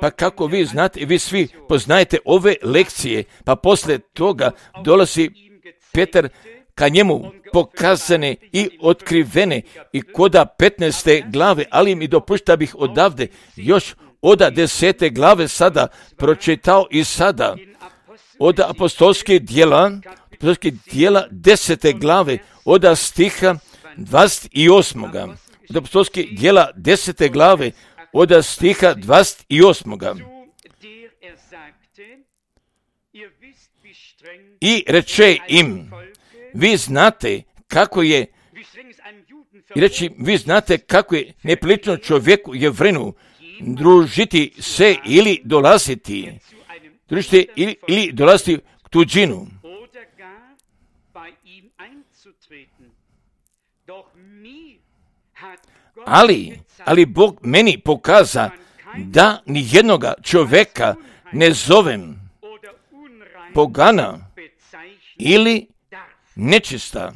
Pa kako vi znate, vi svi poznajete ove lekcije, pa poslije toga dolazi Petar ka njemu pokazane i otkrivene i koda 15. glave, ali mi dopušta bih odavde još od 10. glave sada pročitao i sada od apostolskih djela 10. glave od stiha 28. Od apostolskih djela 10. glave od stiha 28. I reče im: vi znate kako je neprilično čovjeku Jevrenu družiti se ili dolaziti k tuđinu. Ali Bog meni pokaza da ni jednoga čovjeka ne zovem, pogana ili nečista.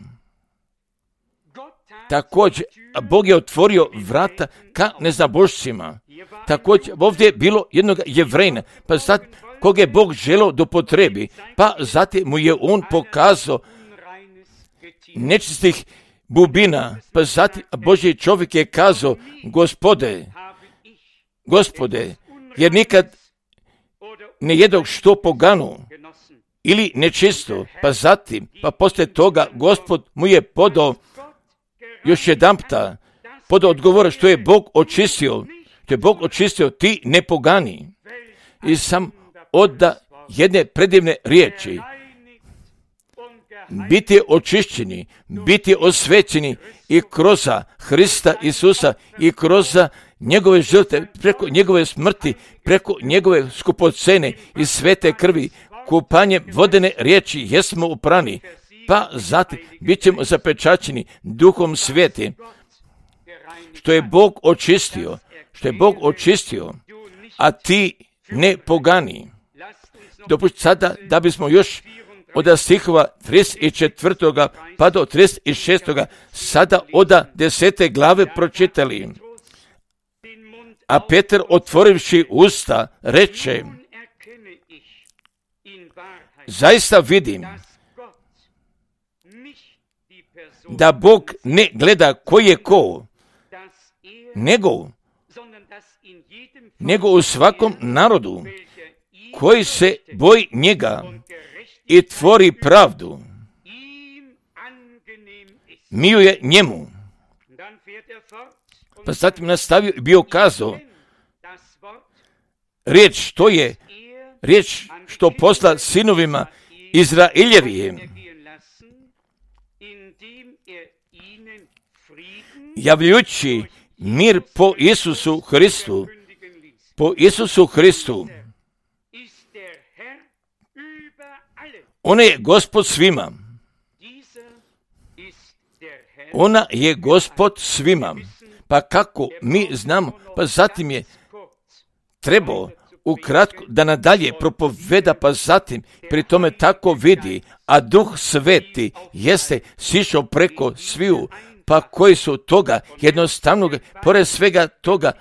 Također, Bog je otvorio vrata ka neznabošcima. Također, ovdje je bilo jednog Jevrejna, pa sad koga je Bog želio da potrebi, pa zatim mu je on pokazao nečistih bubina, pa zatim Božji čovjek je kazao, Gospode, jer nikad ne jedog što poganu ili nečisto, pa zatim, pa poslije toga Gospod mu je podao još jedanputa, podao odgovor što je Bog očistio, ti ne pogani. I sam oda jedne predivne riječi, biti očišćeni, biti osvećeni i kroz Hrista Isusa i kroz njegove žrtve, preko njegove smrti, preko njegove skupocene i svete krvi, kupanjem vodene riječi jesmo uprani, pa zatim bit ćemo zapečaćeni Duhom Svetim, što je Bog očistio, a ti ne pogani. Dopusti sada da bismo još od stihova 34. pa do 36. sada od 10. glave pročitali. A Petar, otvorivši usta, reče, zaista vidim da Bog ne gleda ko je ko, nego u svakom narodu koji se boji njega i tvori pravdu, miluje njemu. Pa zatim nastavio i bio kazao, riječ što posla sinovima Izraeljevim, javljujući mir po Isusu Hristu. Ona je Gospod svima. Ona je Gospod svima. Pa kako mi znamo, pa zatim je trebao ukratko da nadalje propoveda, pa zatim pri tome tako vidi, a Duh Sveti jeste sišao preko sviju, pa koji su toga jednostavnog, pored svega toga,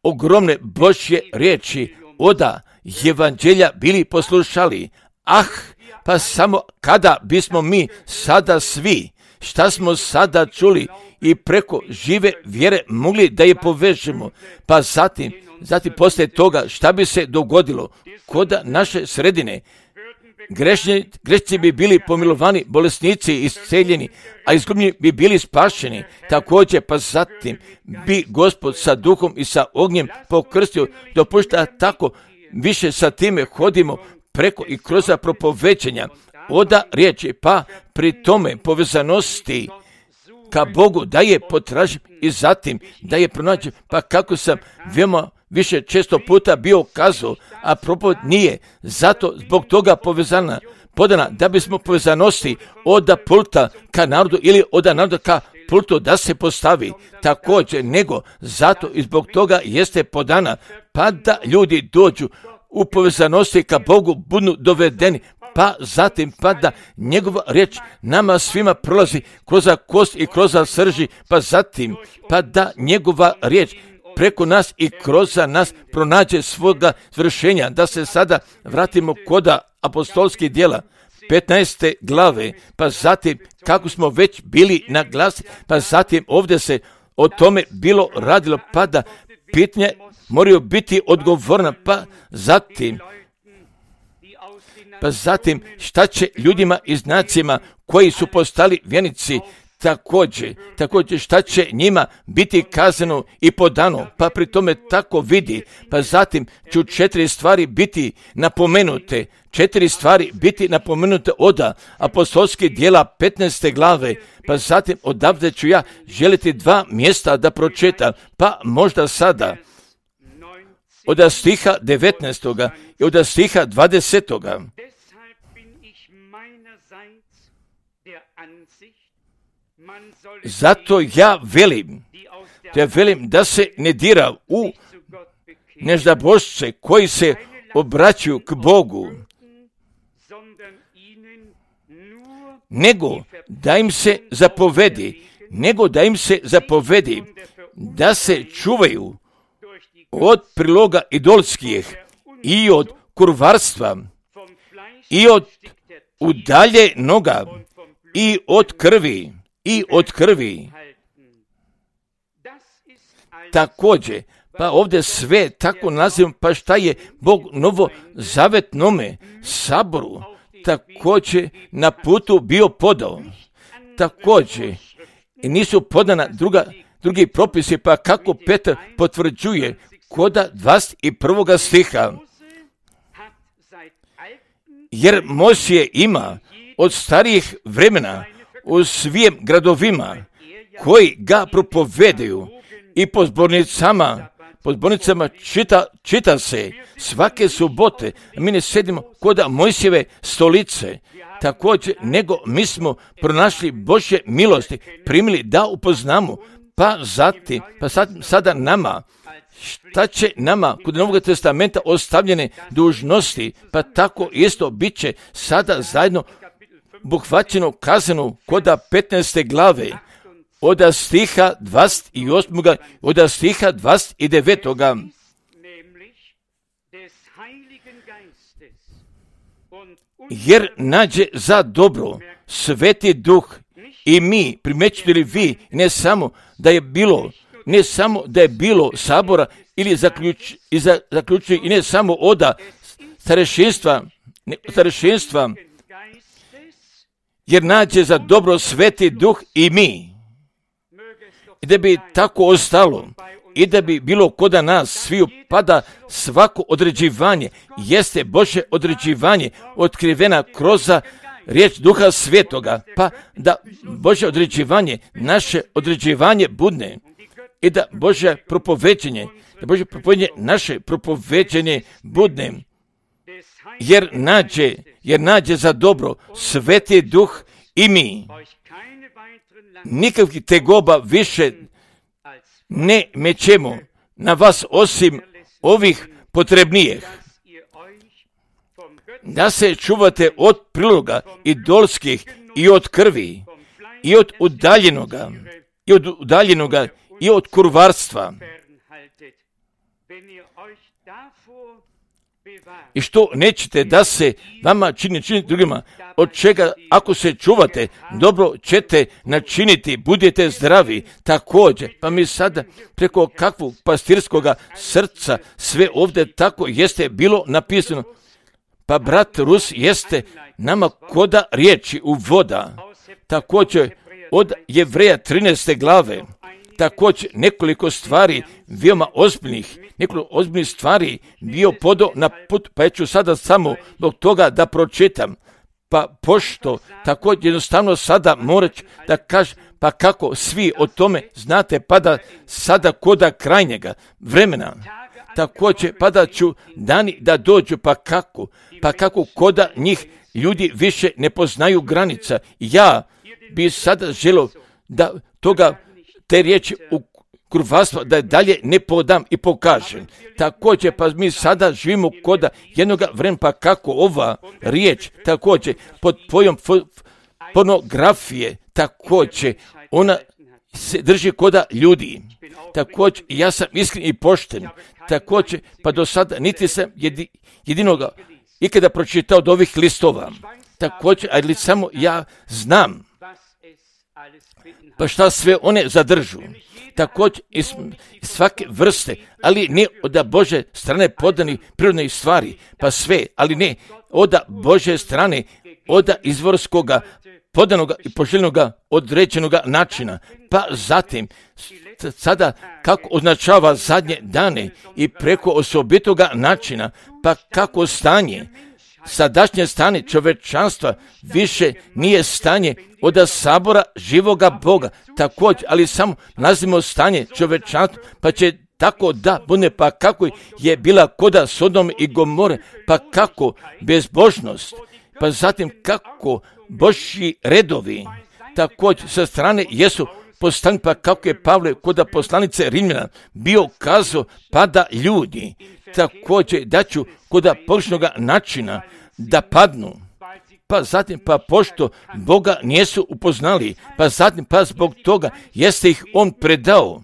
ogromne Božje riječi oda evanđelja bili poslušali. Pa samo kada bismo mi sada svi, šta smo sada čuli i preko žive vjere mogli da je povežemo, pa zatim poslije toga šta bi se dogodilo kod naše sredine. Grešnici bi bili pomilovani, bolesnici isceljeni, a izgubljeni bi bili spašeni. Također, pa zatim bi Gospod sa duhom i sa ognjem pokrstio, dopušta tako više sa time hodimo preko i kroz propoveđenja oda riječi, pa pri tome povezanosti ka Bogu da je potražim i zatim da je pronađem, pa kako sam veoma više često puta bio kazao, a propoved nije zato zbog toga podana da bismo povezanosti od pulta ka narodu ili od naroda ka pultu da se postavi također, nego zato i zbog toga jeste podana, pa da ljudi dođu u povezanosti ka Bogu, budu dovedeni, pa zatim pa da njegova riječ nama svima prolazi kroz kost i kroz srži, pa zatim pa da njegova riječ preko nas i kroz nas pronađe svoga svršenja. Da se sada vratimo kod apostolskih djela 15. glave, pa zatim kako smo već bili na glasi, pa zatim ovdje se o tome bilo radilo, pa da pitanje moraju biti odgovorna, pa zatim šta će ljudima i znacima koji su postali vjernici, također šta će njima biti kazano i podano, pa pri tome tako vidi, pa zatim ću 4 stvari biti napomenute od apostolskih djela 15. glave, pa zatim odavde ću ja želiti 2 mjesta da pročitam, pa možda sada od stiha 19. i od stiha 20. Zato ja velim da se ne dira u neždabošce koji se obraćaju k Bogu, nego da im se zapovedi, da se čuvaju od priloga idolskih i od kurvarstva i od udaljenoga i od krvi. Također, pa ovdje sve tako nazivam, pa šta je Bog novozavetnome saboru također na putu bio podao. Također, i nisu podana drugi propisi, pa kako Petar potvrđuje koda 21. stiha. Jer Mojsije ima od starijih vremena u svim gradovima koji ga propovedaju i po zbornicama čita se svake subote. Mi ne sedimo koda Mojsijeve stolice. Također, nego mi smo pronašli Božje milosti, primili da upoznamo, pa sada nama, šta će nama kod Novog testamenta ostavljene dužnosti, pa tako isto bit će sada zajedno obuhvaćeno kazano koda 15. glave, od stiha 28. od stiha 29. Jer nađe za dobro Sveti Duh i mi, primećujete li vi, ne samo da je bilo sabora ili zaključuje i ne samo od starešinstva, jer nađe za dobro Sveti Duh i mi. I da bi tako ostalo i da bi bilo koda nas sviju, pa da svako određivanje jeste Božje određivanje otkrivena kroz riječ Duha Svetoga, pa da Božje određivanje, naše određivanje budne i da Božje propoveđenje, naše propoveđenje budne, jer nađe za dobro Sveti Duh i mi. Nikakvih tegoba više ne mećemo na vas osim ovih potrebnijih. Da se čuvate od priloga idolskih i od krvi i od udaljenoga i od kurvarstva. I što nećete da se vama čini drugima, od čega ako se čuvate, dobro ćete načiniti, budete zdravi. Također, pa mi sada preko kakvog pastirskoga srca sve ovdje tako jeste bilo napisano. Pa brat Rus jeste nama koda riječi u voda. Također od Jevreja 13. glave. Također nekoliko stvari veoma ozbiljnih stvari bio podao na put, pa ja ću sada samo zbog toga da pročitam. Pa pošto također jednostavno sada morat da kažem, pa kako svi o tome znate, pa da sada koda krajnjega vremena, također pa da ću dani da dođu, pa kako koda njih ljudi više ne poznaju granica. Ja bi sada želio da te riječi u kurvarstva da dalje ne podam i pokažem. Također, pa mi sada živimo koda jednoga vremena, pa kako ova riječ, također, pod pojom pornografije, također, ona se drži koda ljudi. Također, ja sam iskren i pošten. Također, pa do sada niti sam jedinoga ikada pročitao od ovih listova. Također, ali samo ja znam pa šta sve one zadržu. Također iz svake vrste, ali ne od Bože strane podani prirodne stvari, pa sve, ali ne od Bože strane, od izvorskoga, podanoga i poželjnoga određenoga načina. Pa zatim, sada kako označava zadnje dane i preko osobitoga načina, pa kako stanje, sadašnje stanje čovečanstva više nije stanje od sabora živoga Boga. Također, ali samo nazivamo stanje čovečanstva, pa će tako da bude, pa kako je bila koda Sodome i Gomore, pa kako bezbožnost, pa zatim kako Božji redovi, također sa strane jesu postavljeni, pa kako je Pavle koda poslanice Rimljana bio kazao, pa da ljudi također da ću koda pogrešnoga načina da padnu, pa zatim, pa pošto Boga nisu upoznali, pa zatim, pa zbog toga jeste ih on predao,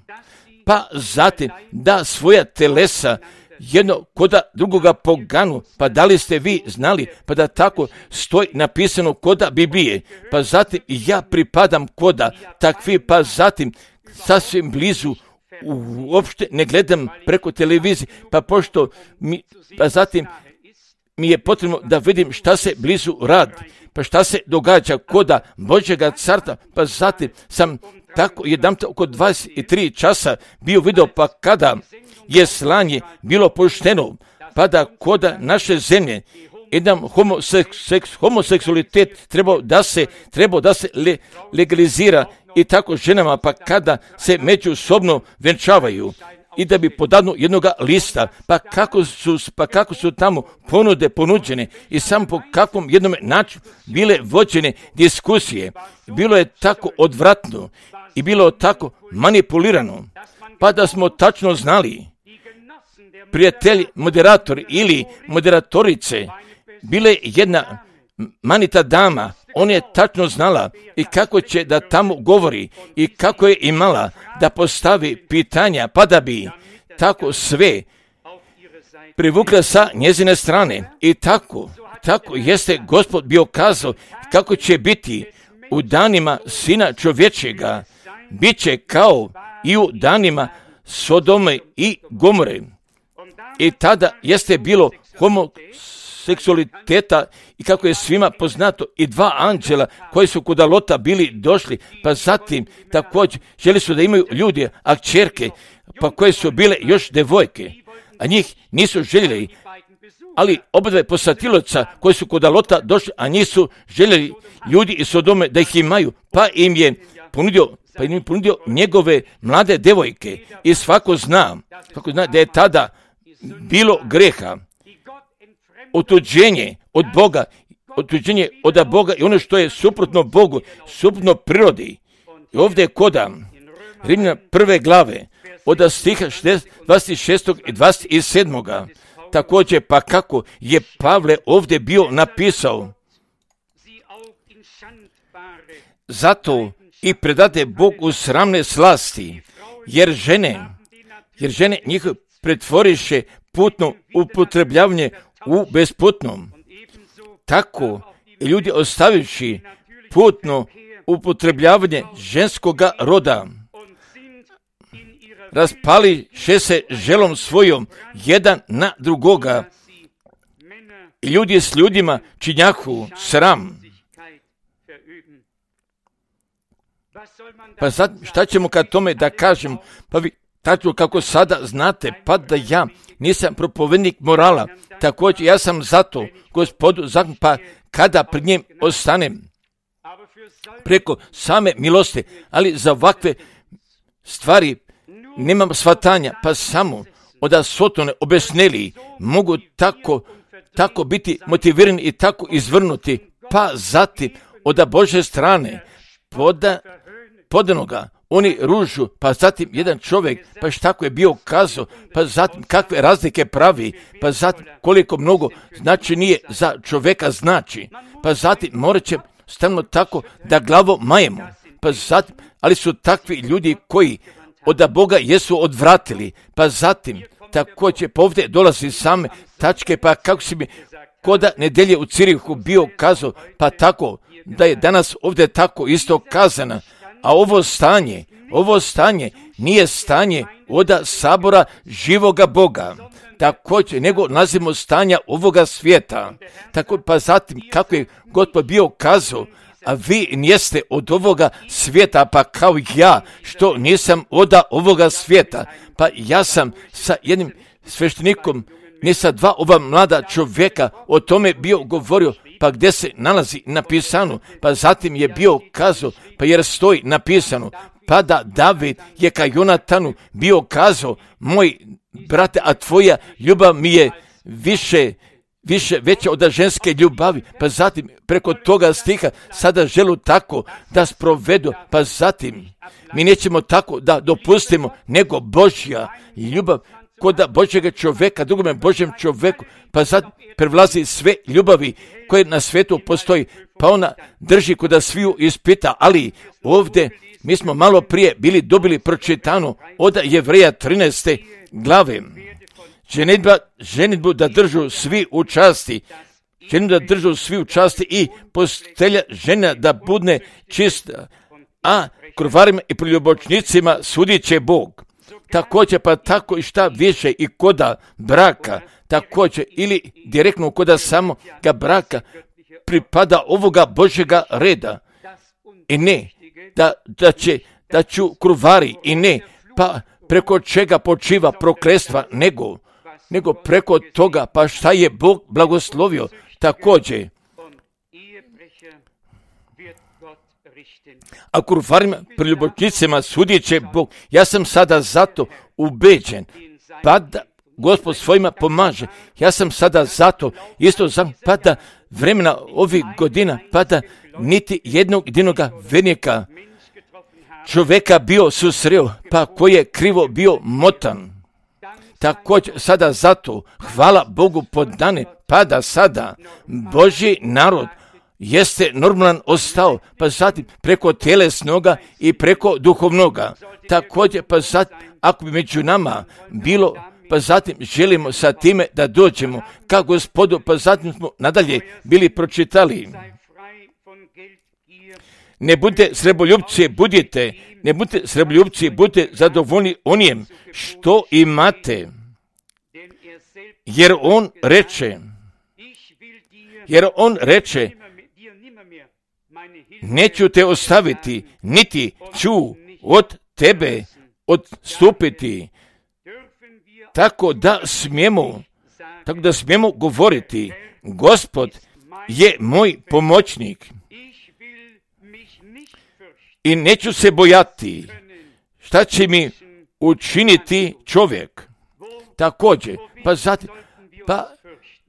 pa zatim da svoja telesa jedno koda drugoga poganu, pa da li ste vi znali, pa da tako stoji napisano koda Biblije, pa zatim ja pripadam koda takvi, pa zatim sasvim blizu, uopšte ne gledam preko televizije, pa pošto pa zatim mi je potrebno da vidim šta se blizu radi, pa šta se događa koda Božjega carstva, pa zatim sam tako jedanput oko 23 časa bio video, pa kada je slanje bilo pošteno, pa da koda naše zemlje jedan homoseksualitet trebao da se legalizira i tako ženama, pa kada se međusobno venčavaju i da bi podanu jednoga lista, pa kako su tamo ponuđene i samo po kakvom jednom načinu bile vođene diskusije. Bilo je tako odvratno i bilo je tako manipulirano, pa da smo tačno znali, prijatelji moderatori ili moderatorice, bile jedna manita dama, ona je tačno znala i kako će da tamo govori i kako je imala da postavi pitanja, pa da bi tako sve privukla sa njezine strane. I tako jeste Gospod bio kazao kako će biti u danima Sina čovječega, bit će kao i u danima Sodome i Gomore. I tada jeste bilo homoseksualiteta i kako je svima poznato i dva anđela koji su kod Lota bili došli, pa zatim također želi su da imaju ljudi, a kćerke, pa koje su bile još devojke, a njih nisu željeli, ali obadve posatiloca koji su kod Lota došli, a njih su željeli ljudi iz Sodome da ih imaju, pa im je ponudio njegove mlade devojke. I svako zna da je tada bilo greha, otuđenje od Boga, otuđenje od Boga i ono što je suprotno Bogu, suprotno prirodi. I ovdje je koda Rimljana 1. glave od stiha 26. i 27. Također, pa kako je Pavle ovdje bio napisao, zato i predade Bog u sramne slasti, jer žene njihove pretvoriše putno upotrebljavanje u besputnom. Tako i ljudi ostavivši putno upotrebljavanje ženskoga roda, raspališe se želom svojom jedan na drugoga i ljudi s ljudima činjahu sram. Pa sad šta ćemo kad tome da kažem? Pa vi tako kako sada znate, pa da ja nisam propovednik morala, također ja sam zato Gospodu zakon, pa kada pred njim ostanem preko same milosti, ali za ovakve stvari nemam shvatanja, pa samo od Sotone obesneli mogu tako biti motivirani i tako izvrnuti, pa zatim od Božje strane podanoga oni ružu, pa zatim jedan čovjek, pa tako je bio kazao, pa zatim kakve razlike pravi, pa zatim koliko mnogo znači nije za čovjeka znači, pa zatim morat će stalno tako da glavo majemo, pa zatim, ali su takvi ljudi koji od Boga jesu odvratili, pa zatim također povdje dolazi same tačke, pa kako si mi koda nedelje u Cirihu bio kazao, pa tako da je danas ovdje tako isto kazana. A ovo stanje nije stanje od sabora živoga Boga, također nego nazivamo stanja ovoga svijeta. Tako pa zatim kako je Gospod bio kazao, a vi niste od ovoga svijeta, pa kao ja što nisam od ovoga svijeta, pa ja sam sa jednim sveštenikom, ne sa dva ova mlada čovjeka o tome bio govorio, pa gdje se nalazi napisano, pa zatim je bio kazao, pa jer stoji napisano, pa da David je ka Jonatanu bio kazao, moj brate, a tvoja ljubav mi je veća od ženske ljubavi, pa zatim preko toga stiha sada želu tako da sprovedu, pa zatim mi nećemo tako da dopustimo, nego Božja ljubav koda Božjega čovjeka, drugome Božjem čovjeku, pa sad prevlazi sve ljubavi koje na svijetu postoji, pa ona drži koda sviju ispita, ali ovdje mi smo malo prije dobili pročitano od Jevreja 13. glave. Ženidbu da držu svi u časti, i postelja žena da budne čista, a krvarima i preljubočnicima sudit će Bog. Također pa tako i šta više i koda braka, također ili direktno koda samoga braka pripada ovoga Božjega reda. I ne, da ću krvari, i ne, pa preko čega počiva prokletstva, nego preko toga, pa šta je Bog blagoslovio. Također, a krvarima preljubočnicima sudit će Bog. Ja sam sada zato ubeđen, pa da Gospod svojima pomaže. Ja sam sada zato, isto pa da vremena ovih godina, pa da niti jednog jedinoga vernika čovjeka bio susreo, pa koji je krivo bio motan. Također sada zato, hvala Bogu podane, pa da sada Božji narod jeste normalan ostao, pa zatim preko tjelesnoga i preko duhovnoga. Također pa zatim, ako bi među nama bilo, pa zatim želimo sa time da dođemo ka Gospodu, pa zatim smo nadalje bili pročitali. Ne budite srebroljubci, budite zadovoljni onijem što imate. Jer on reče, neću te ostaviti, niti ću od tebe odstupiti. Tako da smijemo govoriti, Gospod je moj pomoćnik i neću se bojati šta će mi učiniti čovjek. Također,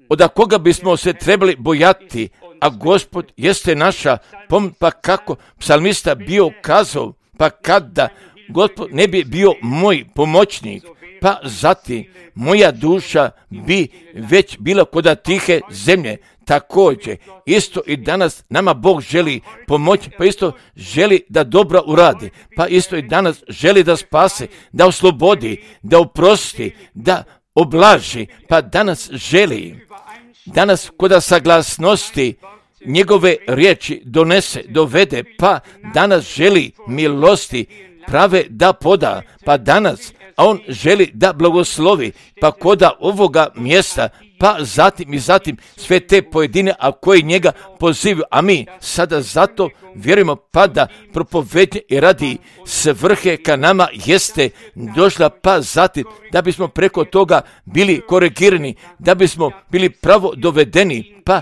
od koga bismo se trebali bojati, a Gospod jeste naša pomoć, pa kako psalmista bio kazao, pa kada Gospod ne bi bio moj pomoćnik, pa zatim moja duša bi već bila koda tihe zemlje. Također, isto i danas nama Bog želi pomoći, pa isto želi da dobro uradi, pa isto i danas želi da spase, da oslobodi, da oprosti, da oblaži, pa danas želi, danas koda saglasnosti njegove riječi dovede, pa danas želi milosti prave da poda, pa danas, a on želi da blagoslovi, pa koda ovoga mjesta, pa zatim sve te pojedine, a koji njega pozivaju, a mi sada zato vjerujemo, pa da propovednje i radi svrhe ka nama jeste došla, pa zatim da bismo preko toga bili korigirani, da bismo bili pravo dovedeni, pa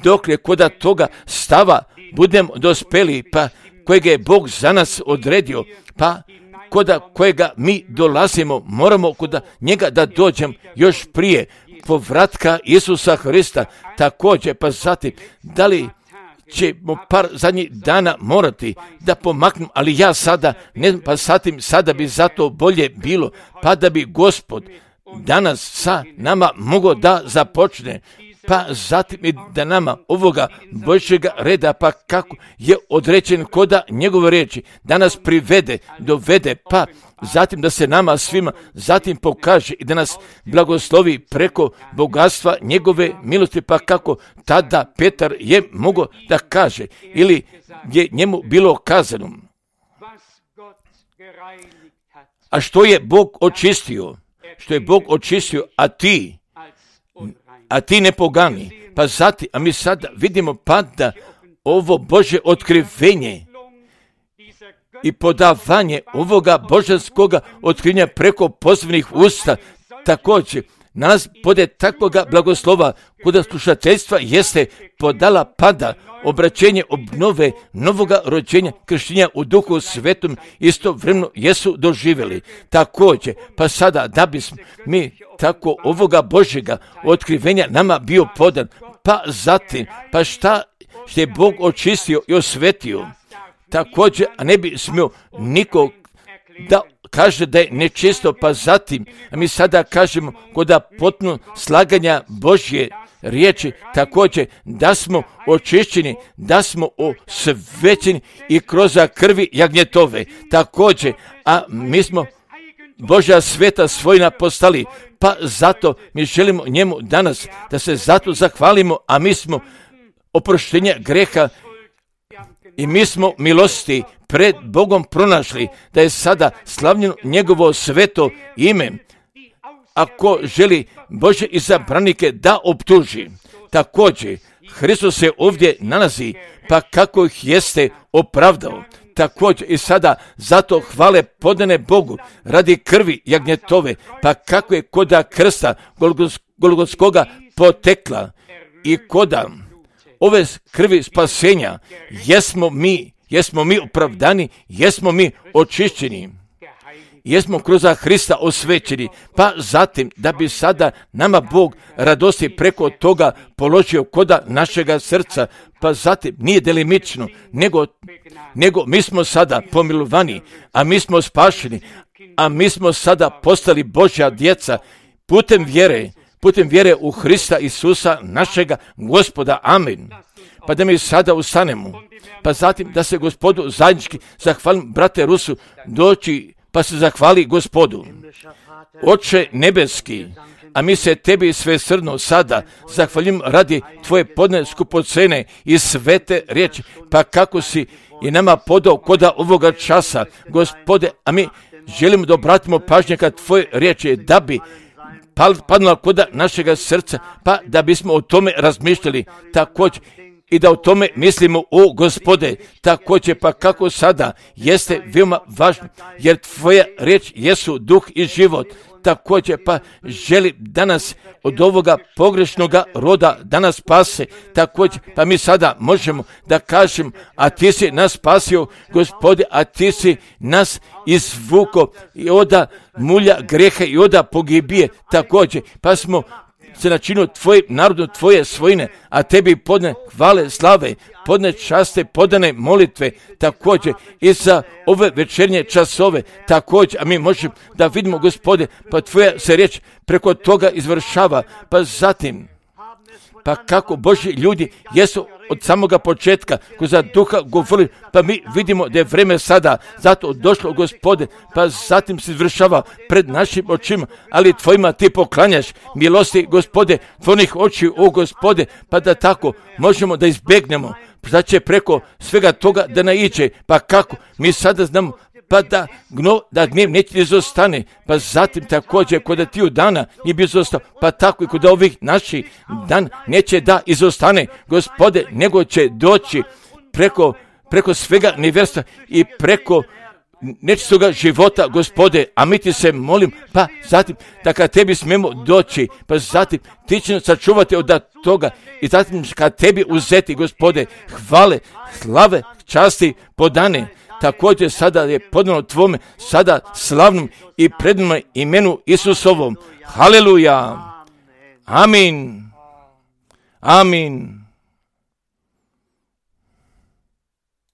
dok je koda toga stava budemo dospeli, pa kojega je Bog za nas odredio, pa koda kojega mi dolazimo, moramo koda njega da dođem još prije povratka Isusa Hrista. Također, pa zatim, da li ćemo par zadnjih dana morati da pomaknemo, ali ja sada, ne znam, pa zatim, sada bi zato bolje bilo, pa da bi Gospod danas sa nama mogao da započne, pa zatim i da nama ovoga Božjega reda, pa kako je određen koda njegove riječi, da nas dovede, pa zatim da se nama svima zatim pokaže i da nas blagoslovi preko bogatstva njegove milosti, pa kako tada Petar je mogao da kaže, ili je njemu bilo kazano. A što je Bog očistio, a ti ne pogani. Pa zatim, a mi sada vidimo pa da ovo Božje otkrivenje i podavanje ovoga božanskoga otkrivenja preko pozivnih usta, također nas pode takvoga blagoslova kuda slušateljstva jeste podala pada obraćenje obnove novoga rođenja krštenja u Duhu Svetom istovremeno jesu doživjeli. Također, pa sada da bismo mi tako ovoga Božjega otkrivenja nama bio podan, pa zatim, pa što je Bog očistio i osvetio, također, a ne bi smio nikog da kaže da je nečisto, pa zatim, a mi sada kažemo kod potpuno slaganja Božje riječi također da smo očišćeni, da smo osvećeni i kroz krvi jagnjetove također, a mi smo Božja sveta svojina postali, pa zato mi želimo njemu danas da se zato zahvalimo, a mi smo oproštenja greha i mi smo milosti pred Bogom pronašli, da je sada slavljeno njegovo sveto ime. Ako želi Božje izabranike da optuži, također Hristos se ovdje nalazi, pa kako ih jeste opravdao. Također i sada zato hvale podane Bogu radi krvi jagnjetove, pa kako je koda krsta Golgotskoga potekla i koda ove krvi spasenja jesmo mi opravdani, jesmo mi očišćeni, jesmo kroz Hrista osvećeni, pa zatim da bi sada nama Bog radosti preko toga položio koda našega srca, pa zatim nije delimično, nego mi smo sada pomilovani, a mi smo spašeni, a mi smo sada postali Božja djeca putem vjere u Hrista Isusa našega Gospoda. Amen. Pa da mi sada ustanemo, pa zatim da se Gospodu zajednički zahvalim, brate Rusu, doći pa se zahvali Gospodu. Oče nebeski, a mi se tebi svesrdno sada zahvalim radi tvoje podne skupocene i svete riječi, pa kako si i nama podao koda ovoga časa, Gospode, a mi želimo da obratimo pažnje kad tvoje riječi da bi padnula koda našega srca, pa da bismo o tome razmišljali također i da o tome mislimo, o Gospode, također pa kako sada jeste veoma važno, jer tvoja riječ jesu duh i život, također pa želi danas od ovoga pogrešnoga roda da nas spase, također pa mi sada možemo da kažemo, a ti si nas spasio, Gospode, a ti si nas izvuko i oda mulja greha i oda pogibije, također pa smo se načinio tvojim narodom, tvoje svojine, a tebi podne hvale, slave, podne časte, podane molitve, također i za ove večernje časove, također, a mi možemo da vidimo, Gospode, pa tvoja se riječ preko toga izvršava, pa zatim, pa kako Božji ljudi jesu od samoga početka kroz duha govorili, pa mi vidimo da je vreme sada zato došlo, Gospode, pa zatim se izvršava pred našim očima, ali tvojima ti poklanjaš milosti, Gospode, tvojih oči, o Gospode, pa da tako možemo da izbjegnemo, da će preko svega toga da naiđe, pa kako mi sada znamo, pa da gnjev neće izostane, pa zatim također kod tiju dana nije bi izostao, pa tako i kod ovih naših dan neće da izostane, Gospode, nego će doći preko svega nevjerstva i preko nečistoga života, Gospode, a mi ti se molim, pa zatim da kad tebi smemo doći, pa zatim ti će nas sačuvati od toga i zatim kad tebi uzeti, Gospode, hvale, slave, časti podane. Također sada je podano tvome, sada slavnom i prednom imenu Isusovom. Haleluja. Amin. Amin.